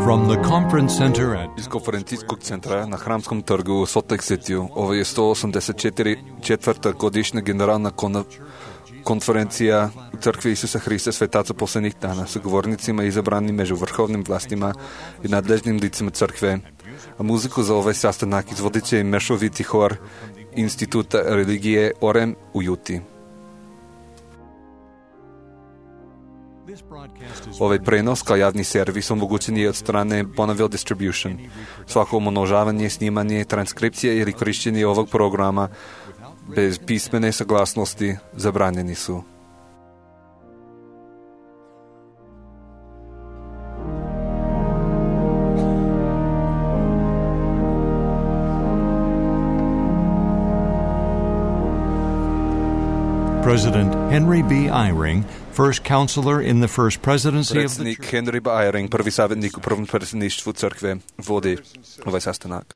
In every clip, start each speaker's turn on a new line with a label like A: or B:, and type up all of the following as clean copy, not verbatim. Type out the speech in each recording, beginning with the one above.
A: From the conference center at
B: Iz konferencijskog centra na Hramskom trgu u Salt Lake City ovo je 184. godišnja generalna konferencija Crkve Isusa Hrista Svetaca poslednjih dana sa govornicima izabranim među vrhovnim vlastima i nadležnim licima crkve. A muziku za ovaj sastanak izvodit će mešoviti hor Instituta religije Orem u Juti. Ovaj prenos kao javni servis omogućen je od strane Bonneville Distribution. Svako umnožavanje, snimanje, transkripcija ili korišćenje ovog programa bez pismene saglasnosti zabranjeni su.
A: President Henry B. Eyring, first counselor in the first presidency of the
B: Predsjednik Henry B. Eyring, prvi savjetnik u prvom predsjedništvu crkve, vodi ovaj sastanak.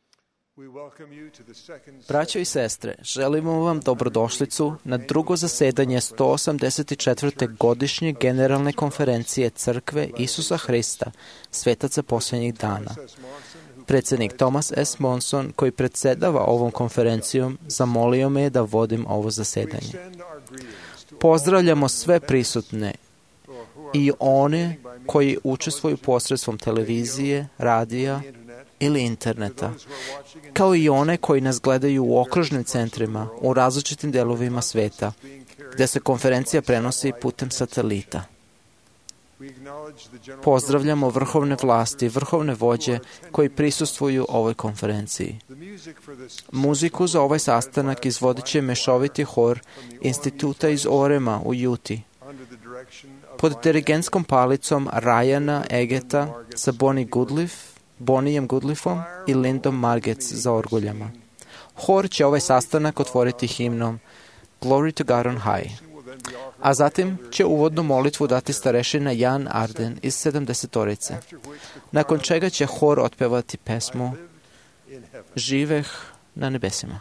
C: Braćo i sestre, želimo vam dobrodošlicu na drugo zasedanje 184. godišnje generalne konferencije Crkve Isusa Hrista, Svetaca posljednjih dana. Predsjednik Thomas S. Monson, koji predsjedava ovom konferencijom, zamolio me da vodim ovo zasedanje. Pozdravljamo sve prisutne i one koji učestvuju posredstvom televizije, radija ili interneta, kao i one koji nas gledaju u okružnim centrima u različitim delovima sveta, gdje se konferencija prenosi putem satelita. Pozdravljamo vrhovne vlasti i vrhovne vođe koji prisustvuju ovoj konferenciji. Muziku za ovaj sastanak izvodit će mešoviti hor Instituta iz Orema u Juti, pod dirigentskom palicom Ryana Egeta sa Bonnijem Goodliffom i Lindom Margetts za orguljama. Hor će ovaj sastanak otvoriti himnom Glory to God on High, a zatim će uvodnu molitvu dati starešina Jan Arden iz 70-torice, nakon čega će hor otpevati pesmu Živeh na nebesima.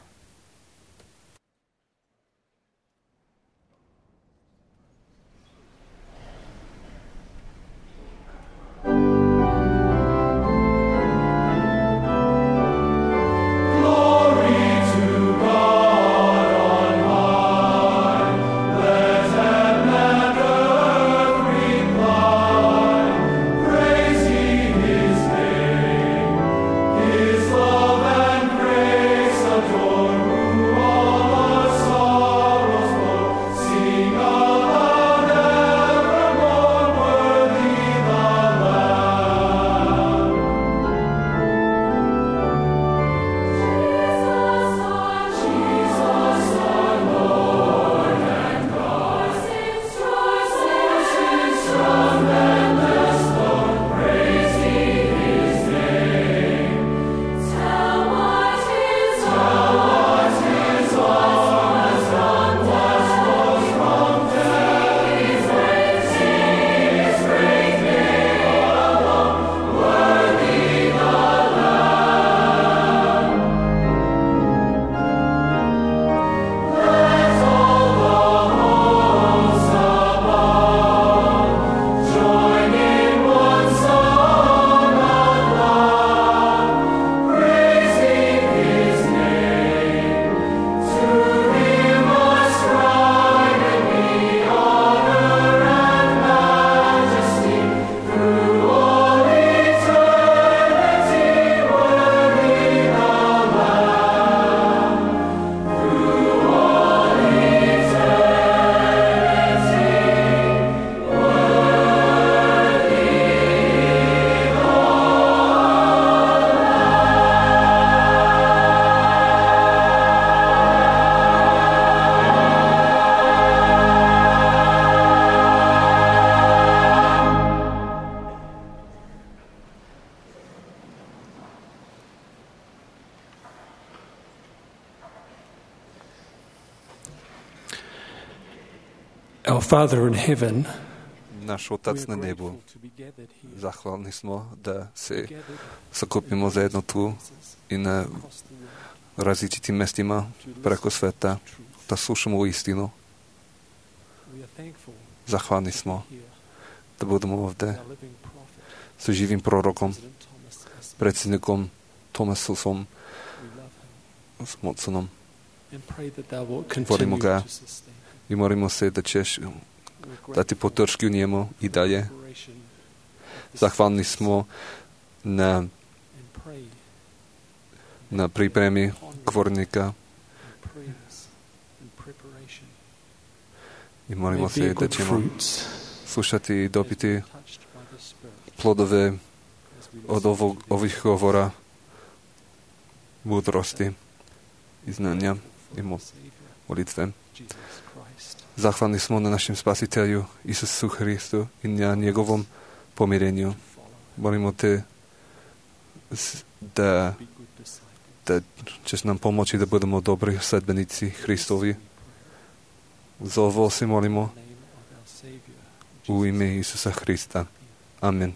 D: Our Father in heaven,
B: Naš Otac na nebu, zahvalni smo da se sakupimo zajedno tu i na različitim mestima preko sveta, da slušamo u istinu. Zahvalni smo da budemo ovdje sa živým prorokom, predsjednikom Tomasom Watsonom. Volimo ga i molimo se da ćeš dati podršku njemu i dalje. Zahvalni smo na pripremi govornika i molimo se da ćemo slušati i dobiti plodove od ovih govora mudrosti i znanja i molitve. Zahvalni smo na našem Spasitelju Isusu Hristu i na njegovom pomirenju. Molimo te da ćeš nam pomoći da budemo dobri sledbenici Hristovi. Za ovo se molimo u ime Isusa Hrista. Amen.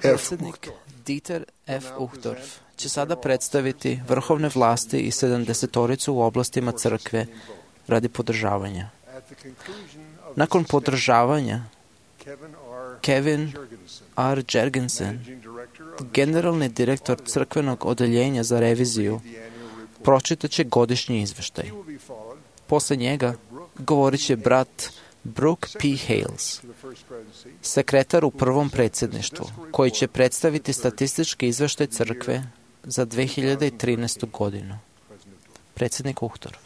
C: Predsjednik Dieter F. Uchtdorf će sada predstaviti vrhovne vlasti i 70-toricu u oblastima crkve radi podržavanja. Nakon podržavanja, Kevin R. Jergensen, generalni direktor crkvenog odeljenja za reviziju, pročitaće godišnji izveštaj. Posle njega govorit će brat Brooke P. Hales, sekretar u prvom predsjedništvu, koji će predstaviti statistički izveštaj crkve za 2013. godinu. Predsjednik Uchtdorf.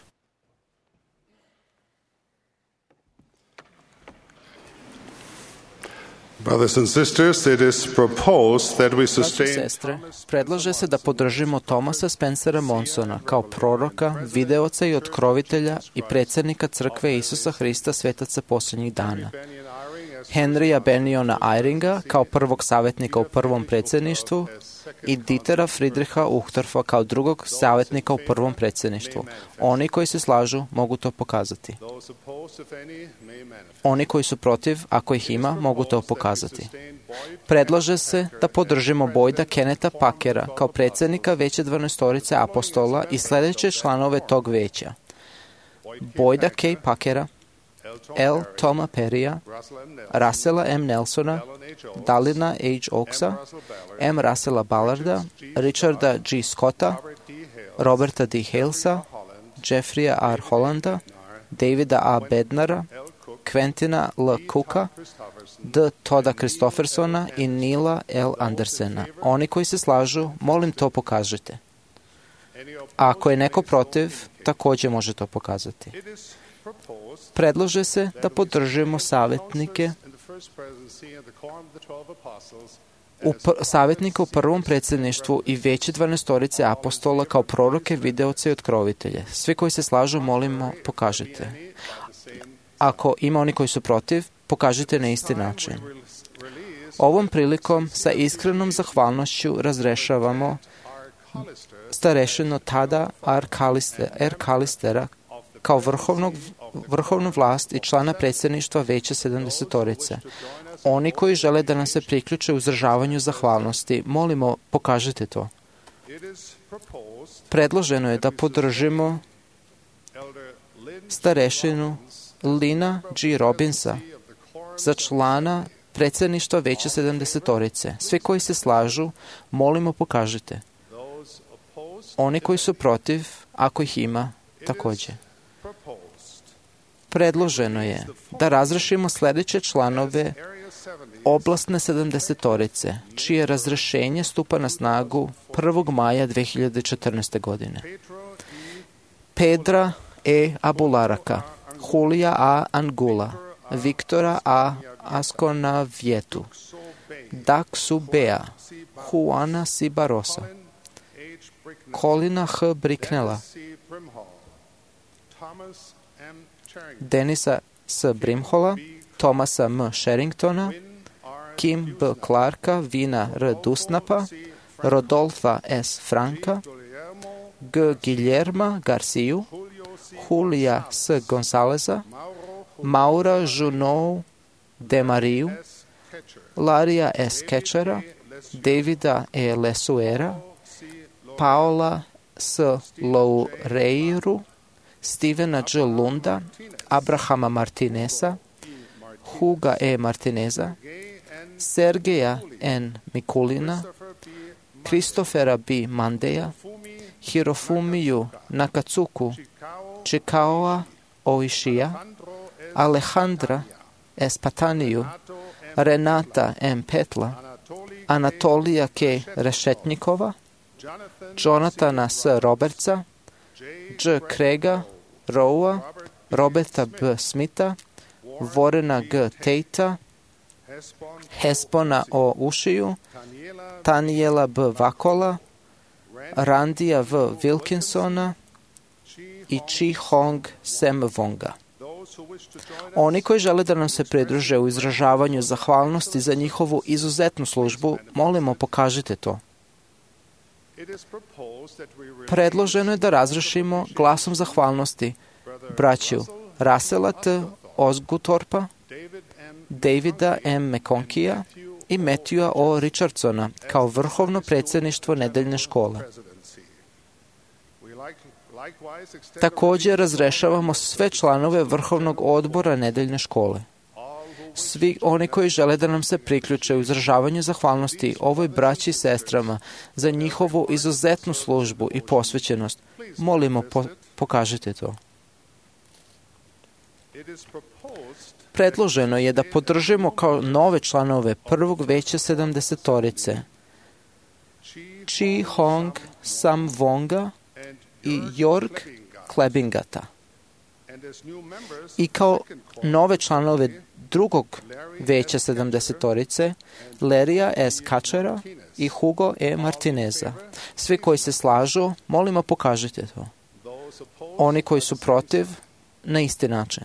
E: Brothers and sisters, it is proposed that we
C: Braći i
E: sustain
C: sestre, predlaže se da podržimo Thomasa Spencera Monsona kao proroka, videoca i otkrovitelja i predsjednika Crkve Isusa Hrista svetaca posljednjih dana. Henrya Beniona Eyringa kao prvog savjetnika u prvom predsjedništvu i Dietera Friedricha Uchtdorfa kao drugog savjetnika u prvom predsjedništvu. Oni koji se slažu mogu to pokazati. Oni koji su protiv, ako ih ima, mogu to pokazati. Predlaže se da podržimo Boyda Kennetha Packera kao predsjednika Veća 12 apostola i sljedeće članove tog veća. Boyda K. Packera, L. Toma Perrya, Russella M. Nelsona, Dalina H. Oaksa, M. Russella Ballarda, Richarda G. Scotta, Roberta D. Halesa, Jeffreya R. Hollanda, Davida A. Bednara, Quentina L. Cooka, D. Toda Christoffersona i Nila L. Andersena. Oni koji se slažu, molim to pokažite. A ako je neko protiv, također može to pokazati. Predlaže se da podržimo savjetnike savjetnika u prvom predsjedništvu i Veće 12 apostola kao proroke, videoce i otkrovitelje. Svi koji se slažu, molimo, pokažite. Ako ima oni koji su protiv, pokažite na isti način. Ovom prilikom sa iskrenom zahvalnošću razrešavamo starešinu Tada R. Kalistera kao vrhovnu vlast i člana predsjedništva Veća 70. Oni koji žele da nam se priključe u izražavanju zahvalnosti, molimo, pokažite to. Predloženo je da podržimo starešinu Lina G. Robinsa za člana predsjedništva Veća 70. Svi koji se slažu, molimo, pokažite. Oni koji su protiv, ako ih ima, također. Predloženo je da razrešimo sljedeće članove oblastne 70. čije razrešenje stupa na snagu 1. maja 2014. godine. Pedra E. Abularaka, Julija A. Angula, Viktora A. Asconavietu, Daksu Bea, Juana C. Barosa, Colina H. Bricknella, Denisa S. Brimhola, Thomasa M. Sherringtona, Kim B. Clarka, Vina R. Dusnapa, Rodolfa S. Franka, G. Guillerma Garciju, Julija S. Gonzaleza, Maura Junou de Mariju, Larija S. Ketchera, Davida E. Lesuera, Paola S. Loureiru, Stevena G. Lunda, Abrahama Martineza, Huga E. Martineza, Sergeja N. Mikulina, Kristofera B. Mandeja, Hirofumiju Nakatsuku, Chikaoa Oishija, Alejandra S. Pataniju, Renata M. Petla, Anatolija K. Rešetnikova, Jonathana S. Robertsa, J. Craiga Rowa, Roberta B. Smitha, Vorena G. Teita, Hespona O. Ušiju, Taniela B. Vakola, Randija V. Wilkinsona i Chi Hong Sem Vonga. Oni koji žele da nam se pridruže u izražavanju zahvalnosti za njihovu izuzetnu službu, molimo, pokažite to. Predloženo je da razrešimo glasom zahvalnosti braću Russella T. Osguthorpa, Davida M. McConkija i Matthewa O. Richardsona kao vrhovno predsjedništvo nedeljne škole. Također razrešavamo sve članove vrhovnog odbora nedeljne škole. Svi oni koji žele da nam se priključe u izražavanju zahvalnosti ovoj braći i sestrama za njihovu izuzetnu službu i posvećenost, molimo, pokažite to. Predloženo je da podržimo kao nove članove prvog veća 70. Chi Hong Sam Vonga i Jorg Klebingata. I kao nove članove drugog veća 70-torice, Lerija S. Kačera i Hugo E. Martineza. Svi koji se slažu, molimo pokažite to. Oni koji su protiv, na isti način.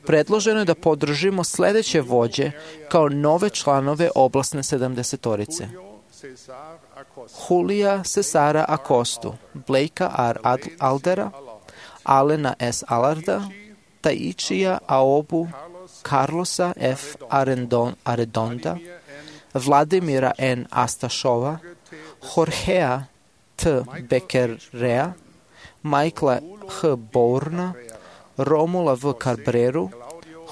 C: Predloženo je da podržimo sledeće vođe kao nove članove oblasne 70-torice. Julija Cesara Acostu, Blakea R. Aldera, Alena S. Allarda, Taichija Aobu, Carlosa F. Arredonda, Vladimira N. Astašova, Jorgea T. Bekerea, Michaela H. Bourna, Romula V. Carbreru,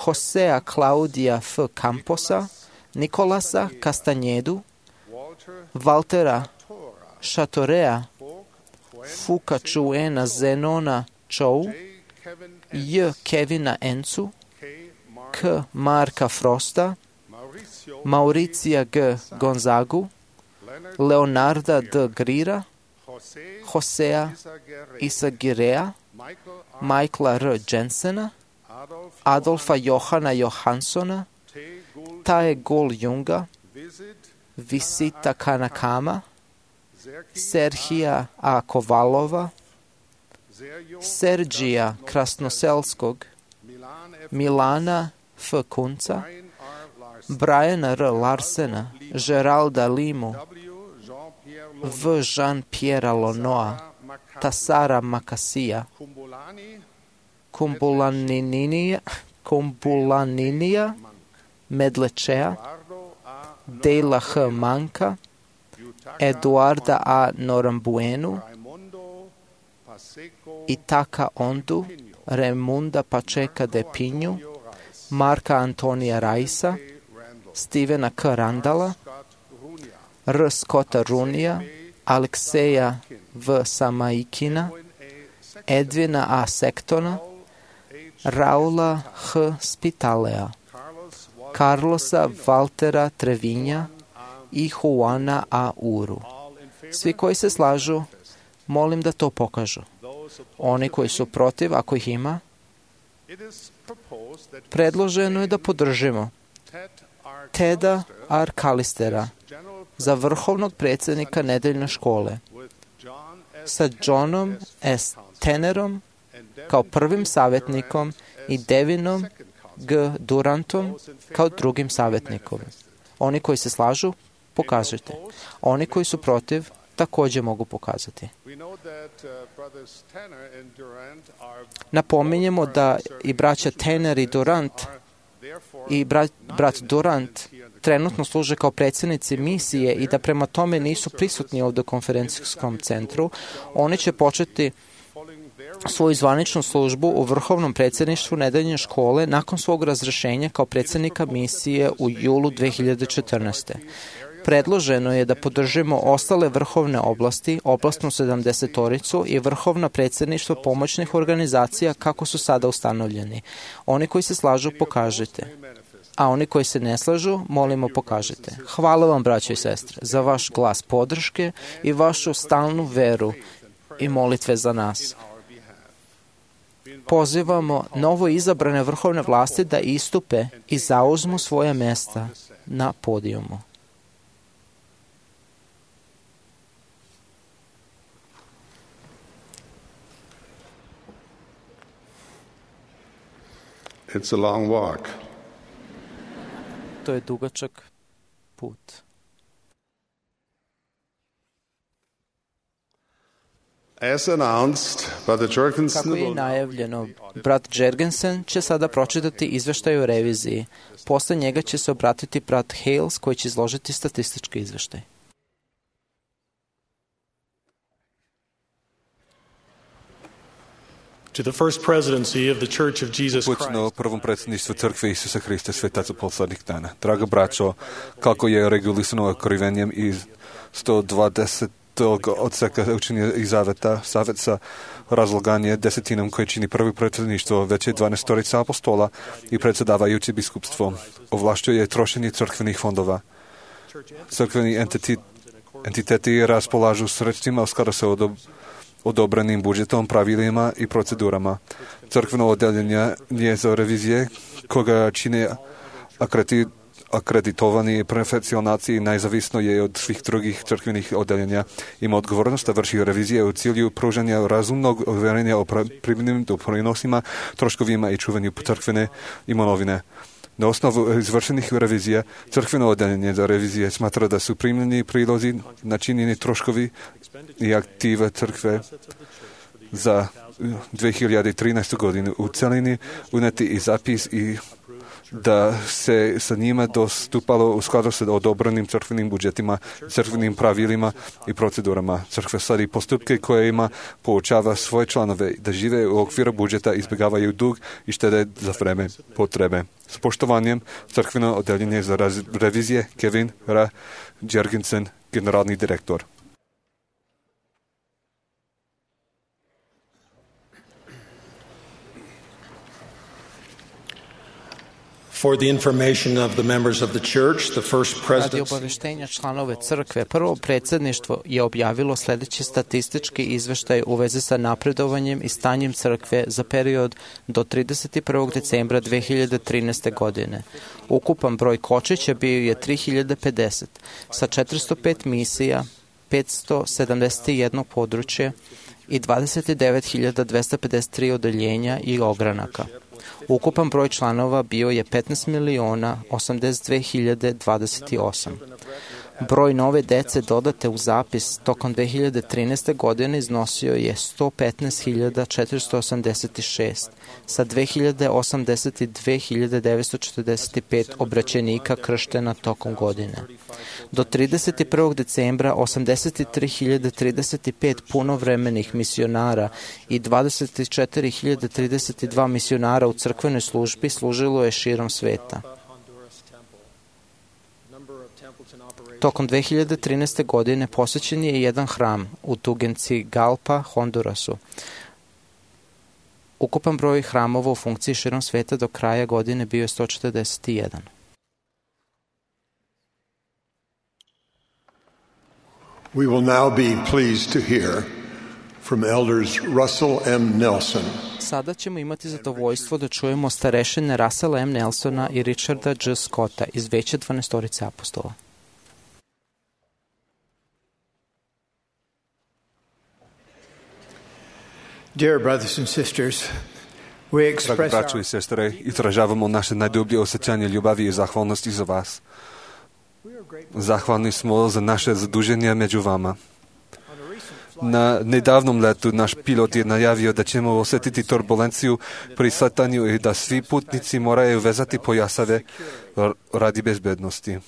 C: Josea Claudia F. Camposa, Nicolasa Castanjedu, Valtera Šatorea, Fuka Čuena Zenona Čou, J. Kevina Encu, K. Marka Frosta, Mauricija G. Gonzagu, Leonarda D. Grira, Josea Isagirea, Michaela R. Jensena, Adolfa Johana Johanssona, Tae Gol Junga, Visita Kanakama, Serhija A. Kovalova, Serđija Krasnoselskog, Milana F. Kunca, Briana R. Larsena, Geralda Limu, V. Jean-Pierre Lonoa, Tasara Makasija, Kumbulaninija, Medlečea, Dejla H. Manka, Eduarda A. Norambuenu, Itaka Ondu, Remunda Pačeka de Pinju, Marka Antonija Raisa, Stevena K. Randala, R. Scotta Runija, Alekseja V. Samaikina, Edvina A. Sektona, Raula H. Spitalea, Carlosa Valtera Trevinja i Juana A. Uru. Svi koji se slažu, molim da to pokažu. Oni koji su protiv, ako ih ima, predloženo je da podržimo Teda R. Kalistera za vrhovnog predsjednika nedeljne škole, sa Johnom S. Tenerom kao prvim savjetnikom i Devinom G. Durantom kao drugim savjetnikom. Oni koji se slažu, pokažite. Oni koji su protiv, također mogu pokazati. Napominjemo da i braća Tener i Durant i brat Durant trenutno služe kao predsjednici misije i da prema tome nisu prisutni ovdje u konferencijskom centru. Oni će početi svoju zvaničnu službu u vrhovnom predsjedništvu nedeljne škole nakon svog razrješenja kao predsjednika misije u julu 2014. Predloženo je da podržimo ostale vrhovne oblasti, oblastnu 70-toricu i vrhovna predsjedništva pomoćnih organizacija kako su sada ustanovljeni. Oni koji se slažu, pokažite. A oni koji se ne slažu, molimo pokažite. Hvala vam, braćo i sestre, za vaš glas podrške i vašu stalnu veru i molitve za nas. Pozivamo novo izabrane vrhovne vlasti da istupe i zauzmu svoje mjesta na podijumu.
E: It's a long walk.
C: To je dugačak put.
E: As announced by the Jorgensen,
C: Kako je najavljeno, brat Jergensen će sada pročitati izveštaj o reviziji. Posle njega će se obratiti brat Hales koji će izložiti statistički izveštaj.
F: To the first presidency of the Church of Jesus Christ.
B: Počnu prvom predsjedništvu Crkve Isusa Hrista svetaca poslednjih dana. Draga braćo, kako je regulisano okrivenjem iz 120. odseka učenja i zaveta, savjet sa razlaganje desetinom koje čini prvi predsjedništvo, već je 12 apostola i predsjedavajući biskupstvo. Ovlašćuje trošenje crkvenih fondova. Crkveni entiteti raspolažu sredstvima u skladu sa odobrenim budžetom, pravilima i procedurama. Crkveno oddeljenje je za revizije koga čine akreditovani profesionalci nezavisno je od svih drugih crkvenih oddeljenja. Ima odgovornost da vrši revizije u cilju pružanja razumnog uvjerenja o primjenim doprinosima, troškovima i čuvanju crkvene imovine. Na osnovu izvršenih revizija, crkveno oddeljenje za revizije smatra da su primljeni prilozi, načinjeni troškovi i aktive crkve za 2013. godinu u celini uneti i zapis i da se sa njima dostupalo u skladu sa odobrenim crkvenim budžetima, crkvenim pravilima i procedurama. Crkva sadi postupke koje ima poučava svoje članove da žive u okviru budžeta, izbjegavaju dug i štede za vreme potrebe. S poštovanjem crkveno oddeljenje za revizije Kevin R. Jergensen, generalni direktor.
F: For the information of the members of the church, the first
C: Radi
F: presidency
C: obaveštenja članove crkve, prvo predsjedništvo je objavilo sljedeći statistički izveštaj u vezi sa napredovanjem i stanjem crkve za period do 31. decembra 2013. godine. Ukupan broj kočića bio je 3050, sa 405 misija, 571 područje i 29.253 odeljenja i ogranaka. Ukupan broj članova bio je 15.082.028. Broj nove dece dodate u zapis tokom 2013. godine iznosio je 115.486 sa 2.082.945 obraćenika krštena tokom godine. Do 31. decembra 83.035 punovremenih misionara i 24.032 misionara u crkvenoj službi služilo je širom sveta. Tokom 2013. godine posvećen je jedan hram u Tegucigalpa, Hondurasu. Ukupan broj hramova u funkciji širom sveta do kraja godine bio je 141.
G: We will now be pleased to hear from elders Russell M. Nelson.
C: Sada ćemo imati zadovoljstvo da čujemo starešine Russella M. Nelsona i Richarda J. Scotta iz Veća 12 apostola.
H: Dear brothers and sisters, we
B: Dragi
H: express
B: braćo i sestre, izražavamo naše najdublje osjećanje ljubavi i zahvalnosti za vas. Zahvalni smo za naše zaduženje među vama. Na nedavnom letu naš pilot je najavio da ćemo osjetiti turbulenciju pri sletanju i da svi putnici moraju vezati pojasave radi bezbednosti.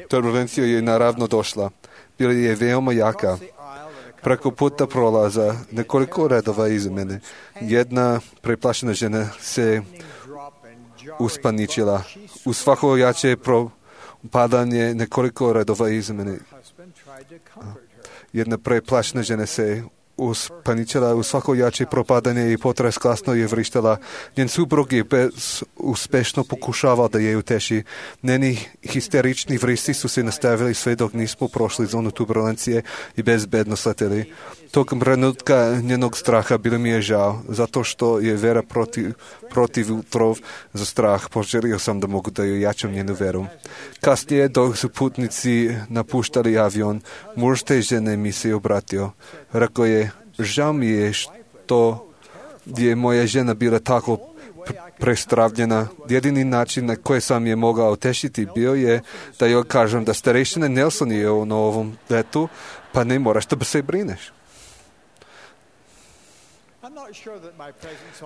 B: Turbulencija je naravno došla. Bila je veoma jaka. Preko puta prolaza nekoliko redova iza mene. Jedna preplašena žena se uspaničila. U svako jače propadanje nekoliko redova iza mene. Jedna preplašena žena se uspaničila u svako jače propadanje i potres glasno je vrištala. Njen suprug je uspešno pokušavao da je uteši. Njeni histerični vristi su se nastavili sve dok nismo prošli zonu turbulencije i bezbedno sleteli. Tokom trenutka njenog straha bilo mi je žao, zato što je vera protiv utrov za strah. Poželio sam da mogu da joj jačam njenu veru. Kasnije, dok su putnici napuštali avion, muž te žene mi se obratio. Rekao je, žao mi je što je moja žena bila tako prestravljena. Jedini način na koji sam je mogao utešiti bio je da joj kažem da starešina Nelson je na ovom letu, pa ne moraš da se brineš.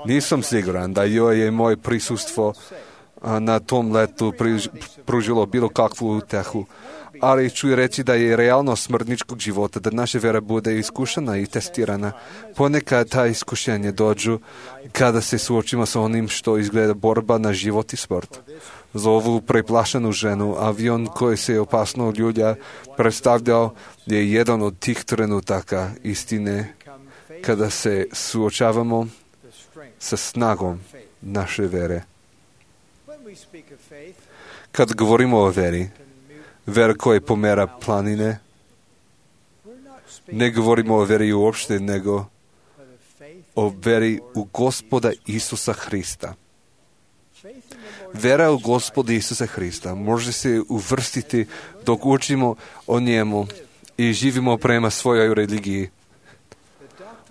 B: Nisam siguran da joj je moje prisustvo na tom letu pružilo bilo kakvu utehu, ali ću reći da je realnost smrtničkog života, da naša vera bude iskušana i testirana. Ponekad ta iskušenje dođu kada se suočimo sa onim što izgleda borba na život i smrt. Za ovu preplašenu ženu, avion koji se opasno ljulja predstavljao je jedan od tih trenutaka istine kada se suočavamo sa snagom naše vere. Kad govorimo o veri, vera koja pomera planine, Ne govorimo o veri uopšte, nego o veri u Gospoda Isusa Hrista. Vera u Gospoda Isusa Hrista može se uvrstiti dok učimo o njemu i živimo prema svojoj religiji.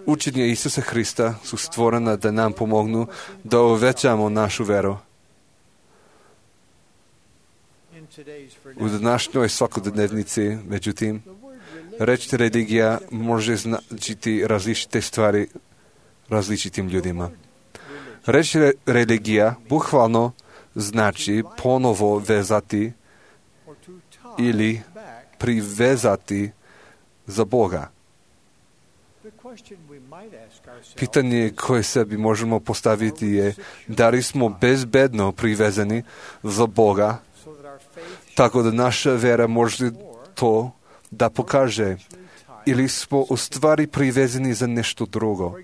B: Učenje Isusa Hrista su stvorena da nam pomognu da uvećamo našu veru. U današnjoj svakodnevnici, međutim, reč religija može značiti različite stvari različitim ljudima. Reč religija bukvalno znači ponovo vezati ili privezati za Boga. Pitanje koje sebi možemo postaviti je da li smo bezbedno privezani za Boga, tako da naša vera može to da pokaže, ili smo u stvari privezani za nešto drugo.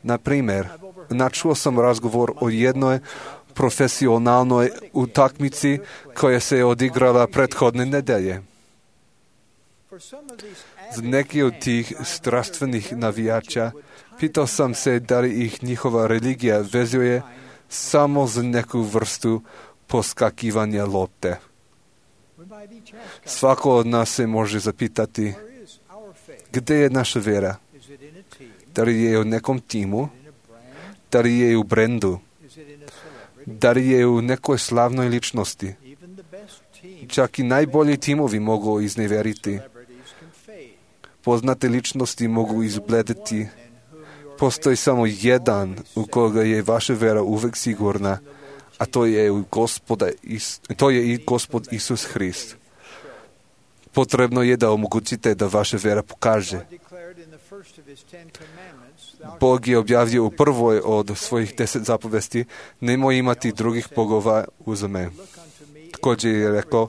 B: Na primjer, načuo sam razgovor o jednoj profesionalnoj utakmici koja se je odigrala prethodne nedelje. Za neki od tih strastvenih navijača pitao sam se da li ih njihova religija vezuje samo za neku vrstu poskakivanja lopte. Svako od nas se može zapitati gdje je naša vera? Da li je u nekom timu? Da li je u brendu? Da li je u nekoj slavnoj ličnosti? Čak i najbolji timovi mogu izneveriti. Poznate ličnosti mogu izbledeti. Postoji samo jedan u koga je vaša vera uvek sigurna, a to je i Gospod Isus Hrist. Potrebno je da omogućite da vaša vera pokaže. Bog je objavio u prvoj od svojih 10 zapovesti: nemoj imati drugih bogova uz me. Također je rekao: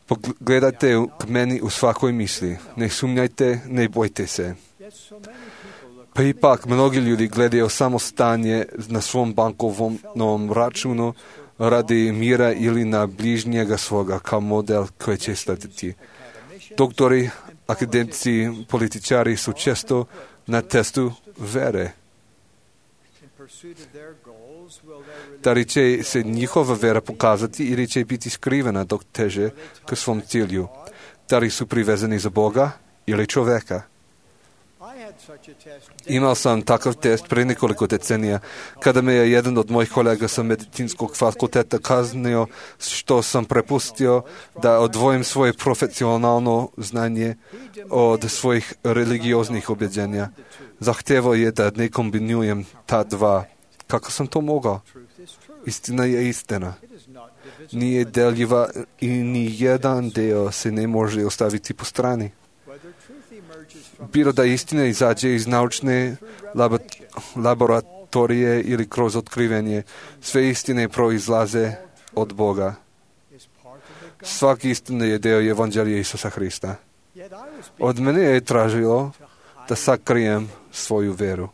B: pogledajte k meni u svakoj misli, ne sumnjajte, ne bojte se. Pa ipak mnogi ljudi gledaju samo stanje na svom bankovnom računu radi mira ili na bližnjega svoga kao model koji će slediti. Doktori, akademici, političari su često na testu vere. Da li će se njihova vera pokazati ili će biti skrivena dok teže k svom cilju? Da li su privezani za Boga ili čoveka? Imao sam takav test prije nekoliko decenija, kada me je jedan od mojih kolega sa medicinskog fakulteta kaznio što sam prepustio da odvojim svoje profesionalno znanje od svojih religioznih ubjeđenja. Zahtevao je da ne kombinujem ta dva. Kako sam to mogao? Istina je istina. Nije deljiva i ni jedan deo se ne može ostaviti po strani. Bilo da istina izađe iz naučne laboratorije ili kroz otkrivenje, sve istine proizlaze od Boga. Svaki istina je deo evanđelja Isusa Hrista. Od mene je tražilo da sakrijem svoju veru.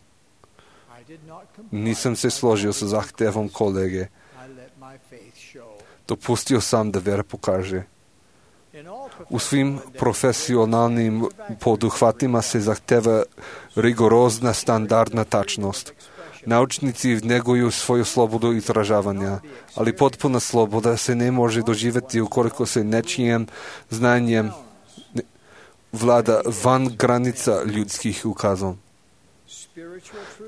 B: Nisam se složio sa zahtevom kolege. Dopustio sam da vera pokaže. U svim profesionalnim poduhvatima se zahteva rigorozna standardna tačnost. Naučnici neguju svoju slobodu izražavanja, ali potpuna sloboda se ne može doživjeti ukoliko se nečijim znanjem vlada van granica ljudskih ukazom.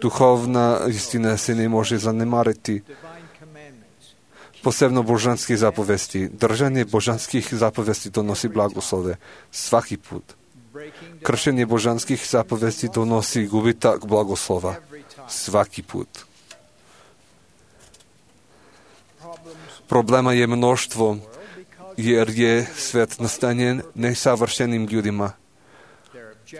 B: Duhovna istina se ne može zanemariti. Posebno božanskih zapovesti. Držanje božanskih zapovesti donosi blagoslove. Svaki put. Kršenje božanskih zapovesti donosi gubitak blagoslova. Svaki put. Problema je mnoštvo, jer je svet nastanjen nesavršenim ljudima.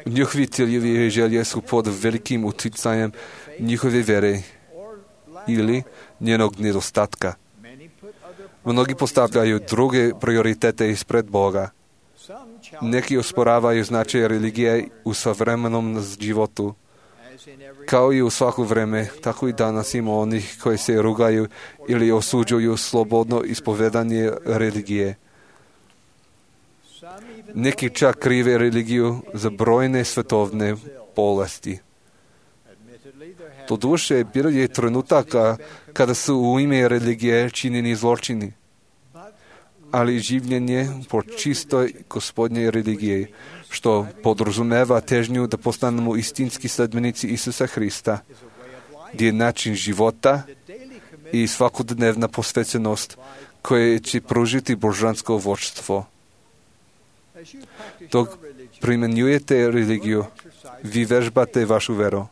B: Njihovi ciljevi i želje su pod velikim utjecajem njihove vere ili njenog nedostatka. Mnogi postavljaju druge prioritete ispred Boga. Neki osporavaju značaj religije u savremenom životu. Kao i u svako vreme, tako i danas ima onih koji se rugaju ili osuđuju slobodno ispovedanje religije. Neki čak krive religiju za brojne svetovne bolesti. Doduše, bilo je trenutaka kada su u ime religije činjeni zločini, ali življenje po čistoj gospodnjej religiji, što podrazumeva težnju da postanemo istinski sledbenici Isusa Hrista, gdje je način života i svakodnevna posvećenost koje će pružiti božansko vodstvo. Dok primjenjujete religiju, vi vežbate vašu vjeru.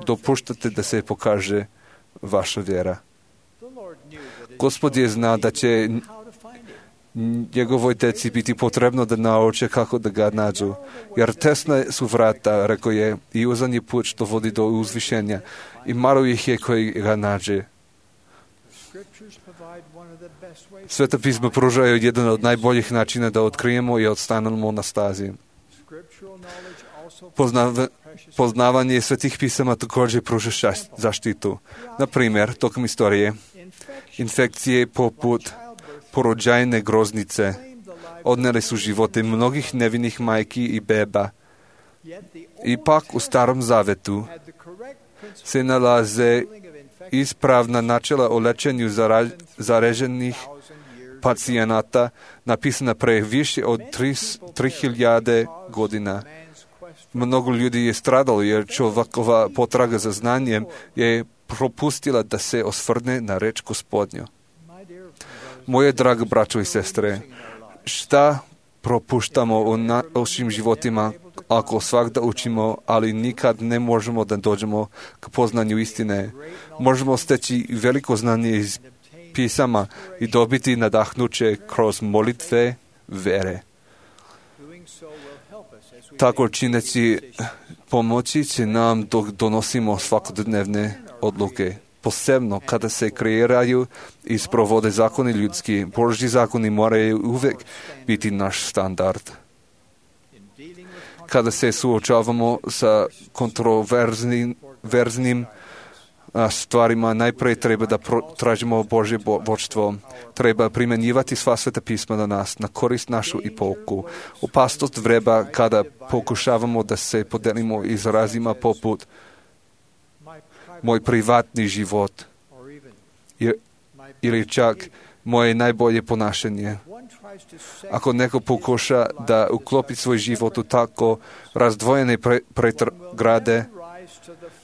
B: Dopuštate da se pokaže vaša vjera. Gospod je zna da će njegovoj djeci biti potrebno da nauče kako da ga nađu. Jer tesna su vrata, rekao je, i uzan je put što vodi do uzvišenja. I malo ih je koji ga nađe. Sveta pisma pružaju jedan od najboljih načina da otkrijemo i odstanemo na stazi. Poznavanje svetih pisama također pruža zaštitu. Na primjer, tokom istorije, infekcije poput porođajne groznice odnijeli su živote mnogih nevinih majki i beba. Ipak u Starom Zavetu se nalaze ispravna načela o lečenju zaraženih pacijenata napisana pre više od 3000 godina. Mnogo ljudi je stradalo jer čovjekova potraga za znanjem je propustila da se osvrne na reč Gospodnju. Moje drage braćo i sestre, šta propuštamo u našim životima ako svakda učimo, ali nikad ne možemo da dođemo k poznanju istine? Možemo steći veliko znanje iz pisama i dobiti nadahnuće kroz molitve vere. Tako čineći pomoći će nam dok donosimo svakodnevne odluke. Posebno kada se kreiraju i sprovode zakoni ljudski, Božji zakoni moraju uvijek biti naš standard. Kada se suočavamo sa kontroverznim stvarima, najprije treba da tražimo Božje vodstvo. Treba primjenjivati sva sveta pisma na nas, na korist našu i pouku. Opasnost vreba kada pokušavamo da se podelimo izrazima poput moj privatni život ili čak moje najbolje ponašanje. Ako neko pokuša da uklopi svoj život u tako razdvojene pretrgrade,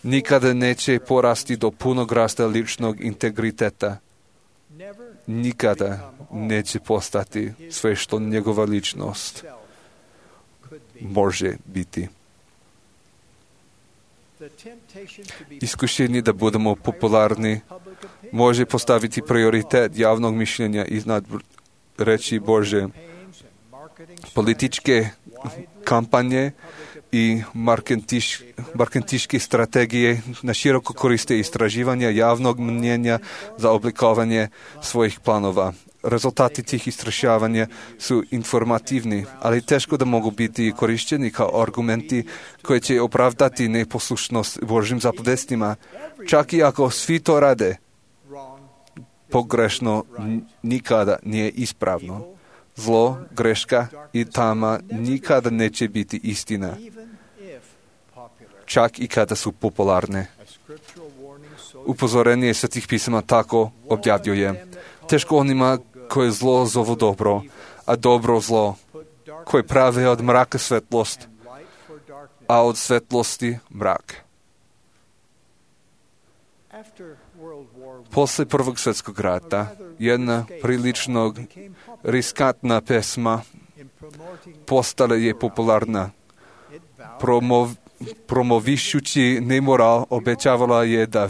B: nikada neće porasti do punog rasta ličnog integriteta. Nikada neće postati sve što njegova ličnost može biti. Iskušenje da budemo popularni može postaviti prioritet javnog mišljenja iznad reči Bože. Političke kampanje i markentiške strategije na široko koriste istraživanja javnog mnjenja za oblikovanje svojih planova. Rezultati tih istraživanja su informativni, ali teško da mogu biti korišteni kao argumenti koji će opravdati neposlušnost Božjim zapovestima. Čak i ako svi to rade, pogrešno nikada nije ispravno. Zlo, greška i tama nikada neće biti istina, čak i kada su popularne. Upozorenje svetih pisama tako objavljuje. Teško onima koje zlo zovu dobro, a dobro zlo, koje prave od mraka svetlost, a od svetlosti mrak. Posle Prvog svjetskog rata, jedna prilično riskantna pesma postala je popularna. Promovišući nemoral, obećavala je da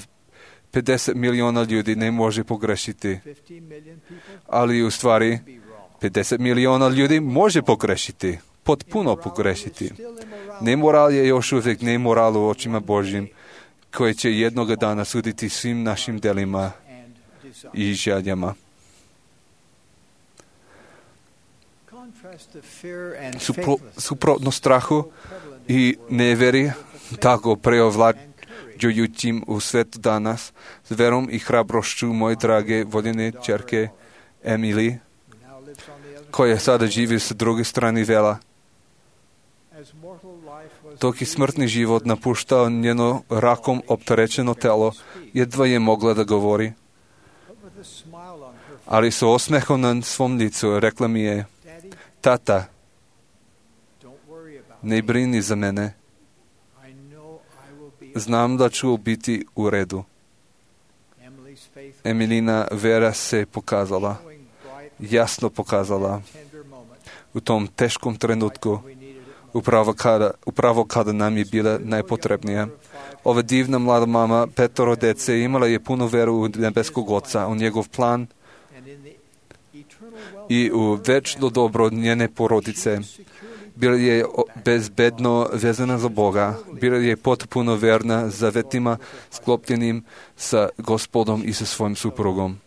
B: 50 miliona ljudi ne može pogrešiti. Ali u stvari 50 miliona ljudi može pogrešiti, potpuno pogrešiti. Nemoral je još uvijek nemoral u očima Božjim, koji će jednoga dana suditi svim našim delima i željama. Suprotno strahu i neveri, tako preovlađujućim u svijetu danas, s verom i hrabrošću moje drage voljene ćerke Emily, koja sada živi sa druge strane vela. Dok je smrtni život napuštao njeno rakom opterećeno telo, jedva je mogla da govori. Ali sa osmehom na svom licu rekla mi je: Tata, ne brini za mene. Znam da ću biti u redu. Emilina vera se pokazala, jasno pokazala u tom teškom trenutku, upravo kada nam je bila najpotrebnija. Ova divna mlada mama, 5 dece, imala je puno veru u nebeskog Oca, u njegov plan i u večno dobro njene porodice. Bila je bezbedno vezana za Boga, bila je potpuno verna zavetima sklopljenim sa Gospodom i sa svojim suprugom.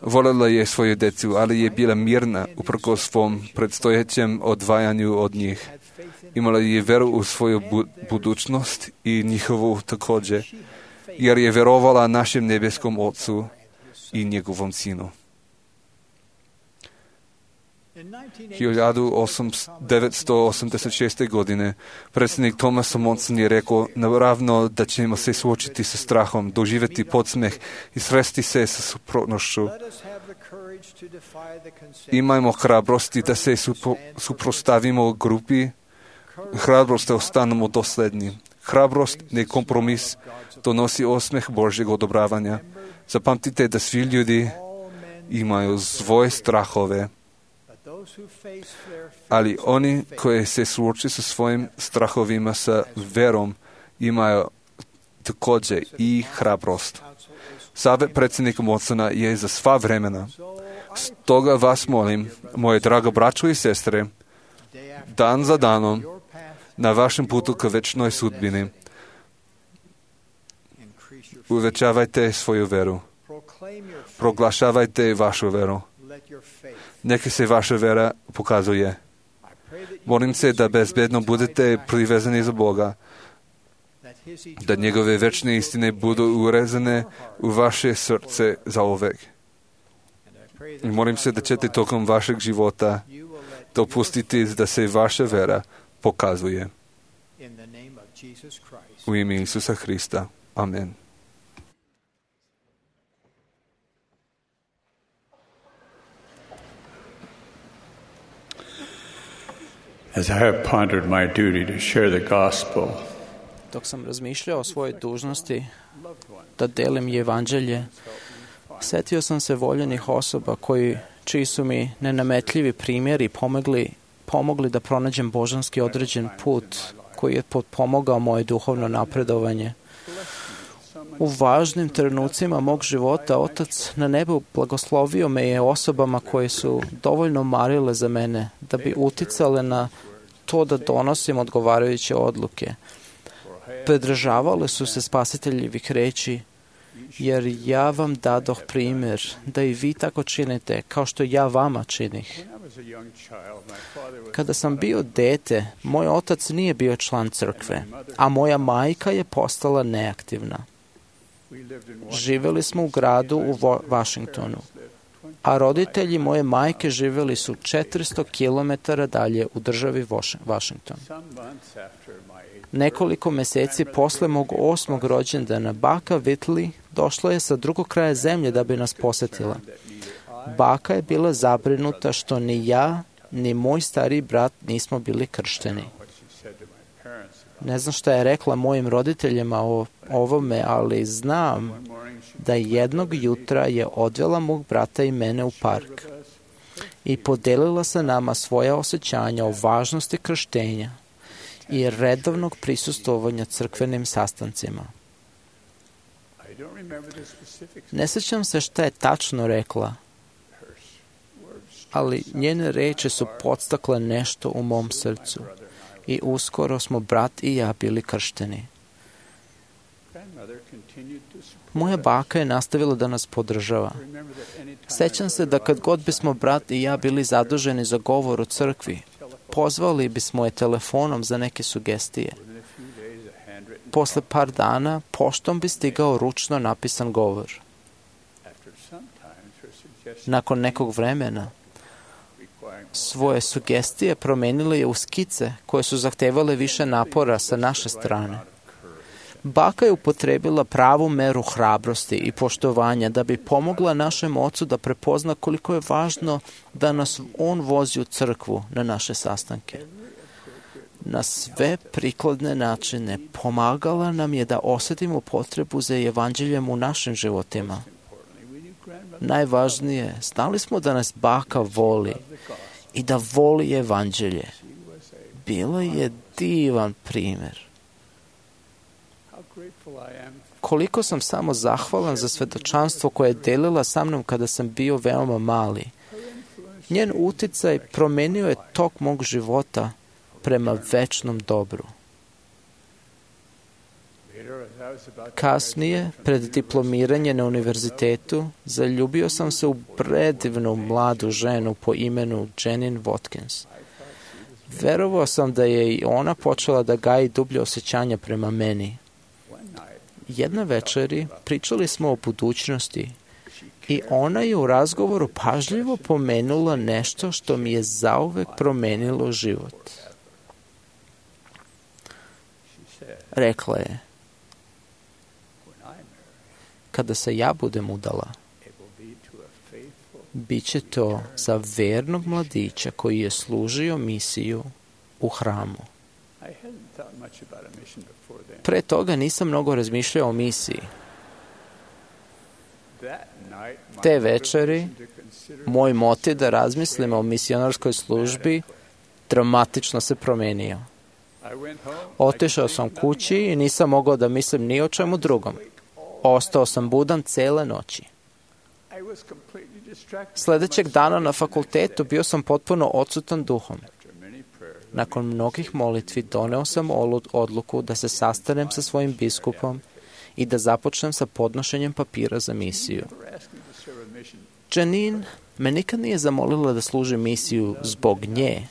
B: Voljela je svoju decu, ali je bila mirna uprkos svom predstojećem odvajanju od njih. Imala je veru u svoju budućnost i njihovu također, jer je verovala našem nebeskom Ocu i njegovom Sinu. 1986. godine predsjednik Thomas Monson je rekao: naravno da ćemo se suočiti sa strahom, doživjeti podsmeh i sresti se sa suprotnošću. Imajmo hrabrosti da se suprotstavimo grupi, hrabrost da ostanemo dosledni. Hrabrost, ne kompromis, donosi osmeh Božjeg odobravanja. Zapamtite da svi ljudi imaju svoje strahove, ali oni koji se suoče sa svojim strahovima sa verom imaju također i hrabrost. Savjet predsjednika Monsona je za sva vremena. Stoga vas molim, moje drago braćo i sestre, dan za danom, na vašem putu ka večnoj sudbini, uvećavajte svoju veru. Proglašavajte vašu veru. Neka se vaša vera pokazuje. Molim se da bezbedno budete privezani za Boga, da njegove večne istine budu urezane u vaše srce zauvek. I molim se da ćete tokom vašeg života dopustiti da se vaša vera pokazuje. U ime Isusa Hrista. Amen.
I: As I have pondered my duty to share the gospel,
C: dok sam razmišljao o svojoj dužnosti da delim evanđelje, setio sam se voljenih osoba čiji su mi nenametljivi primjeri pomogli da pronađem božanski određen put koji je potpomogao moje duhovno napredovanje. U važnim trenucima mog života Otac na nebu blagoslovio me je osobama koje su dovoljno marile za mene da bi uticale na to da donosim odgovarajuće odluke. Pridržavale su se spasiteljevih reči, jer ja vam dadoh primjer da i vi tako činite kao što ja vama činih. Kada sam bio dete, moj otac nije bio član crkve, a moja majka je postala neaktivna. Živjeli smo u gradu u Washingtonu, a roditelji moje majke živjeli su 400 km dalje u državi Washington. Nekoliko mjeseci posle mog 8. rođendana, baka Whitley došla je sa drugog kraja zemlje da bi nas posjetila. Baka je bila zabrinuta što ni ja, ni moj stariji brat nismo bili kršteni. Ne znam šta je rekla mojim roditeljima o ovome, ali znam da jednog jutra je odvela mog brata i mene u park i podelila sa nama svoja osjećanja o važnosti krštenja i redovnog prisustvovanja crkvenim sastancima. Ne sjećam se šta je tačno rekla, ali njene reči su podstakle nešto u mom srcu i uskoro smo brat i ja bili kršteni. Moja baka je nastavila da nas podržava. Sećam se da kad god bismo brat i ja bili zaduženi za govor u crkvi, pozvali bismo je telefonom za neke sugestije. Posle par dana poštom bi stigao ručno napisan govor. Nakon nekog vremena svoje sugestije promenili u skice koje su zahtevale više napora sa naše strane. Baka je upotrebila pravu meru hrabrosti i poštovanja da bi pomogla našem ocu da prepozna koliko je važno da nas on vozi u crkvu na naše sastanke. Na sve prikladne načine pomagala nam je da osjetimo potrebu za evanđeljem u našim životima. Najvažnije, znali smo da nas baka voli i da voli evanđelje. Bila je divan primjer. Koliko sam samo zahvalan za svedočanstvo koje je delila sa mnom kada sam bio veoma mali. Njen uticaj promenio je tok mog života prema večnom dobru. Kasnije, pred diplomiranje na univerzitetu, zaljubio sam se u predivnu mladu ženu po imenu Janine Watkins. Verovao sam da je i ona počela da gaji dublje osjećanja prema meni. Jedna večeri pričali smo o budućnosti i ona je u razgovoru pažljivo pomenula nešto što mi je zauvek promenilo život. Rekla je, kada se ja budem udala, bit će to za vernog mladića koji je služio misiju u hramu. Pre toga nisam mnogo razmišljao o misiji. Te večeri, moj motiv da razmislim o misionarskoj službi dramatično se promenio. Otišao sam kući i nisam mogao da mislim ni o čemu drugom. Ostao sam budan cele noći. Sljedećeg dana na fakultetu bio sam potpuno odsutan duhom. Nakon mnogih molitvi doneo sam odluku da se sastanem sa svojim biskupom i da započnem sa podnošenjem papira za misiju. Janine me nikad nije zamolila da služim misiju zbog nje.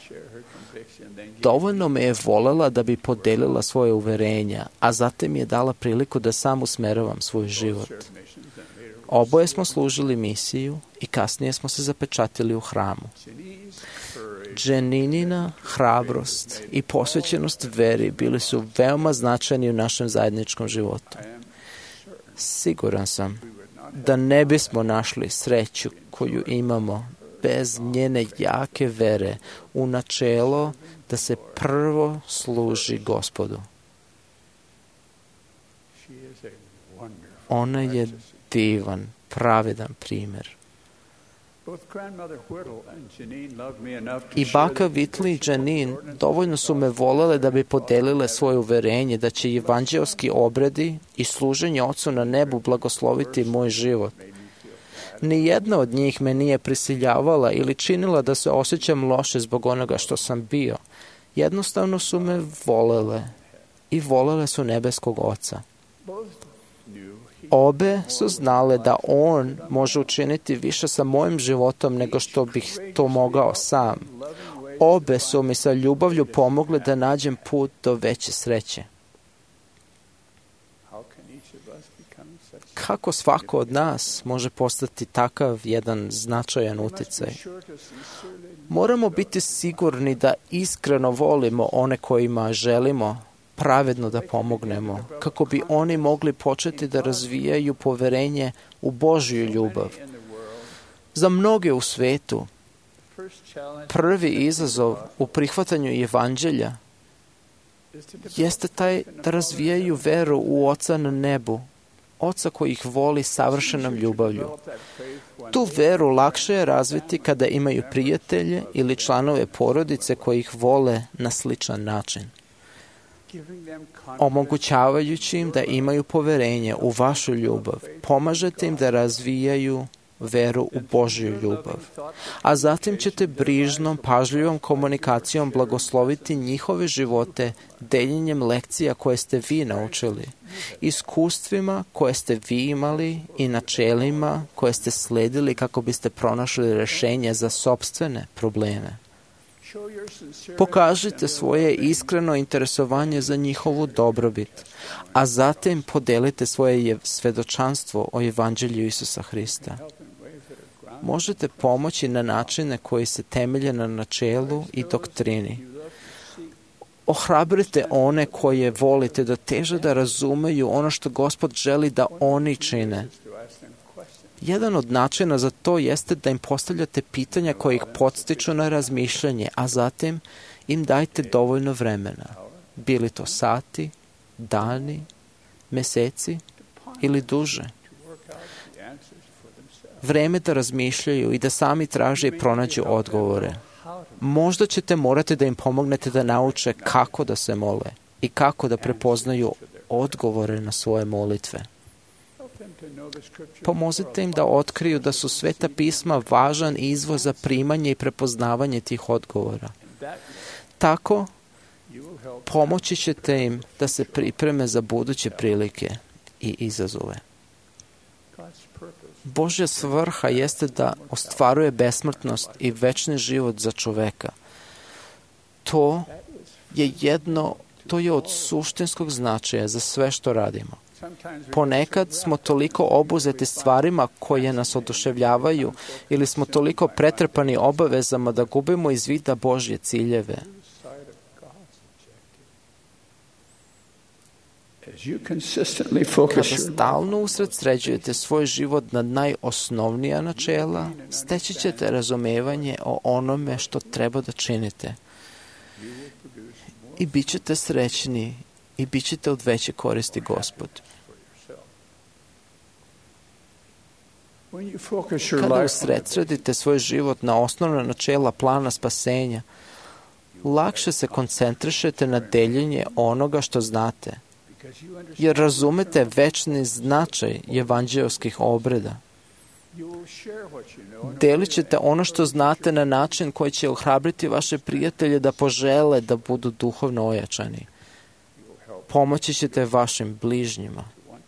C: Dovoljno me je voljela da bi podelila svoje uverenja, a zatim je dala priliku da sam usmeravam svoj život. Oboje smo služili misiju i kasnije smo se zapečatili u hramu. Janinina hrabrost i posvećenost veri bili su veoma značajni u našem zajedničkom životu. Siguran sam da ne bismo našli sreću koju imamo bez njene jake vere u načelo da se prvo služi Gospodu. Ona je divan, pravedan primjer. I baka Whitley i Janine dovoljno su me volele da bi podelile svoje uverenje da će evanđelski obredi i služenje Ocu na nebu blagosloviti moj život. Nijedna od njih me nije prisiljavala ili činila da se osjećam loše zbog onoga što sam bio. Jednostavno su me volele i volele su nebeskog Oca. Obe su znale da On može učiniti više sa mojim životom nego što bih to mogao sam. Obe su mi sa ljubavlju pomogle da nađem put do veće sreće. Kako svako od nas može postati takav jedan značajan uticaj? Moramo biti sigurni da iskreno volimo one kojima želimo pravedno da pomognemo, kako bi oni mogli početi da razvijaju poverenje u Božju ljubav. Za mnoge u svetu, prvi izazov u prihvatanju evanđelja jeste taj da razvijaju veru u Oca na nebu, Oca koji ih voli savršenom ljubavlju. Tu veru lakše je razviti kada imaju prijatelje ili članove porodice koji ih vole na sličan način. Omogućavajući im da imaju poverenje u vašu ljubav, pomažete im da razvijaju veru u Božju ljubav. A zatim ćete brižnom, pažljivom komunikacijom blagosloviti njihove živote deljenjem lekcija koje ste vi naučili, iskustvima koje ste vi imali i načelima koje ste sledili kako biste pronašli rješenje za sopstvene probleme. Pokažite svoje iskreno interesovanje za njihovu dobrobit, a zatim podelite svoje svedočanstvo o evanđelju Isusa Hrista. možete pomoći na načine koji se temelje na načelu i doktrini. Ohrabrite one koje volite da teže da razumeju ono što Gospod želi da oni čine. Jedan od načina za to jeste da im postavljate pitanja koje ih podstiču na razmišljanje, a zatim im dajte dovoljno vremena. Bili to sati, dani, meseci ili duže. Vreme da razmišljaju i da sami traže i pronađu odgovore. Možda ćete morati da im pomognete da nauče kako da se mole i kako da prepoznaju odgovore na svoje molitve. Pomozite im da otkriju da su Sveta pisma važan izvor za primanje i prepoznavanje tih odgovora. Tako, pomoći ćete im da se pripreme za buduće prilike i izazove. Božja svrha jeste da ostvaruje besmrtnost i večni život za čoveka. To je od suštinskog značaja za sve što radimo. Ponekad smo toliko obuzeti stvarima koje nas oduševljavaju ili smo toliko pretrpani obavezama da gubimo iz vida Božje ciljeve. Kada stalno usredsređujete svoj život na najosnovnija načela, steći ćete razumevanje o onome što treba da činite. I bit ćete srećni i bit ćete od veće koristi Gospodu. Kada usredsredite svoj život na osnovna načela plana spasenja, lakše se koncentrišete na deljenje onoga što znate, jer razumete večni značaj evanđeoskih obreda. Delit ćete ono što znate na način koji će ohrabriti vaše prijatelje da požele da budu duhovno ojačani. Pomoći ćete vašim bližnjima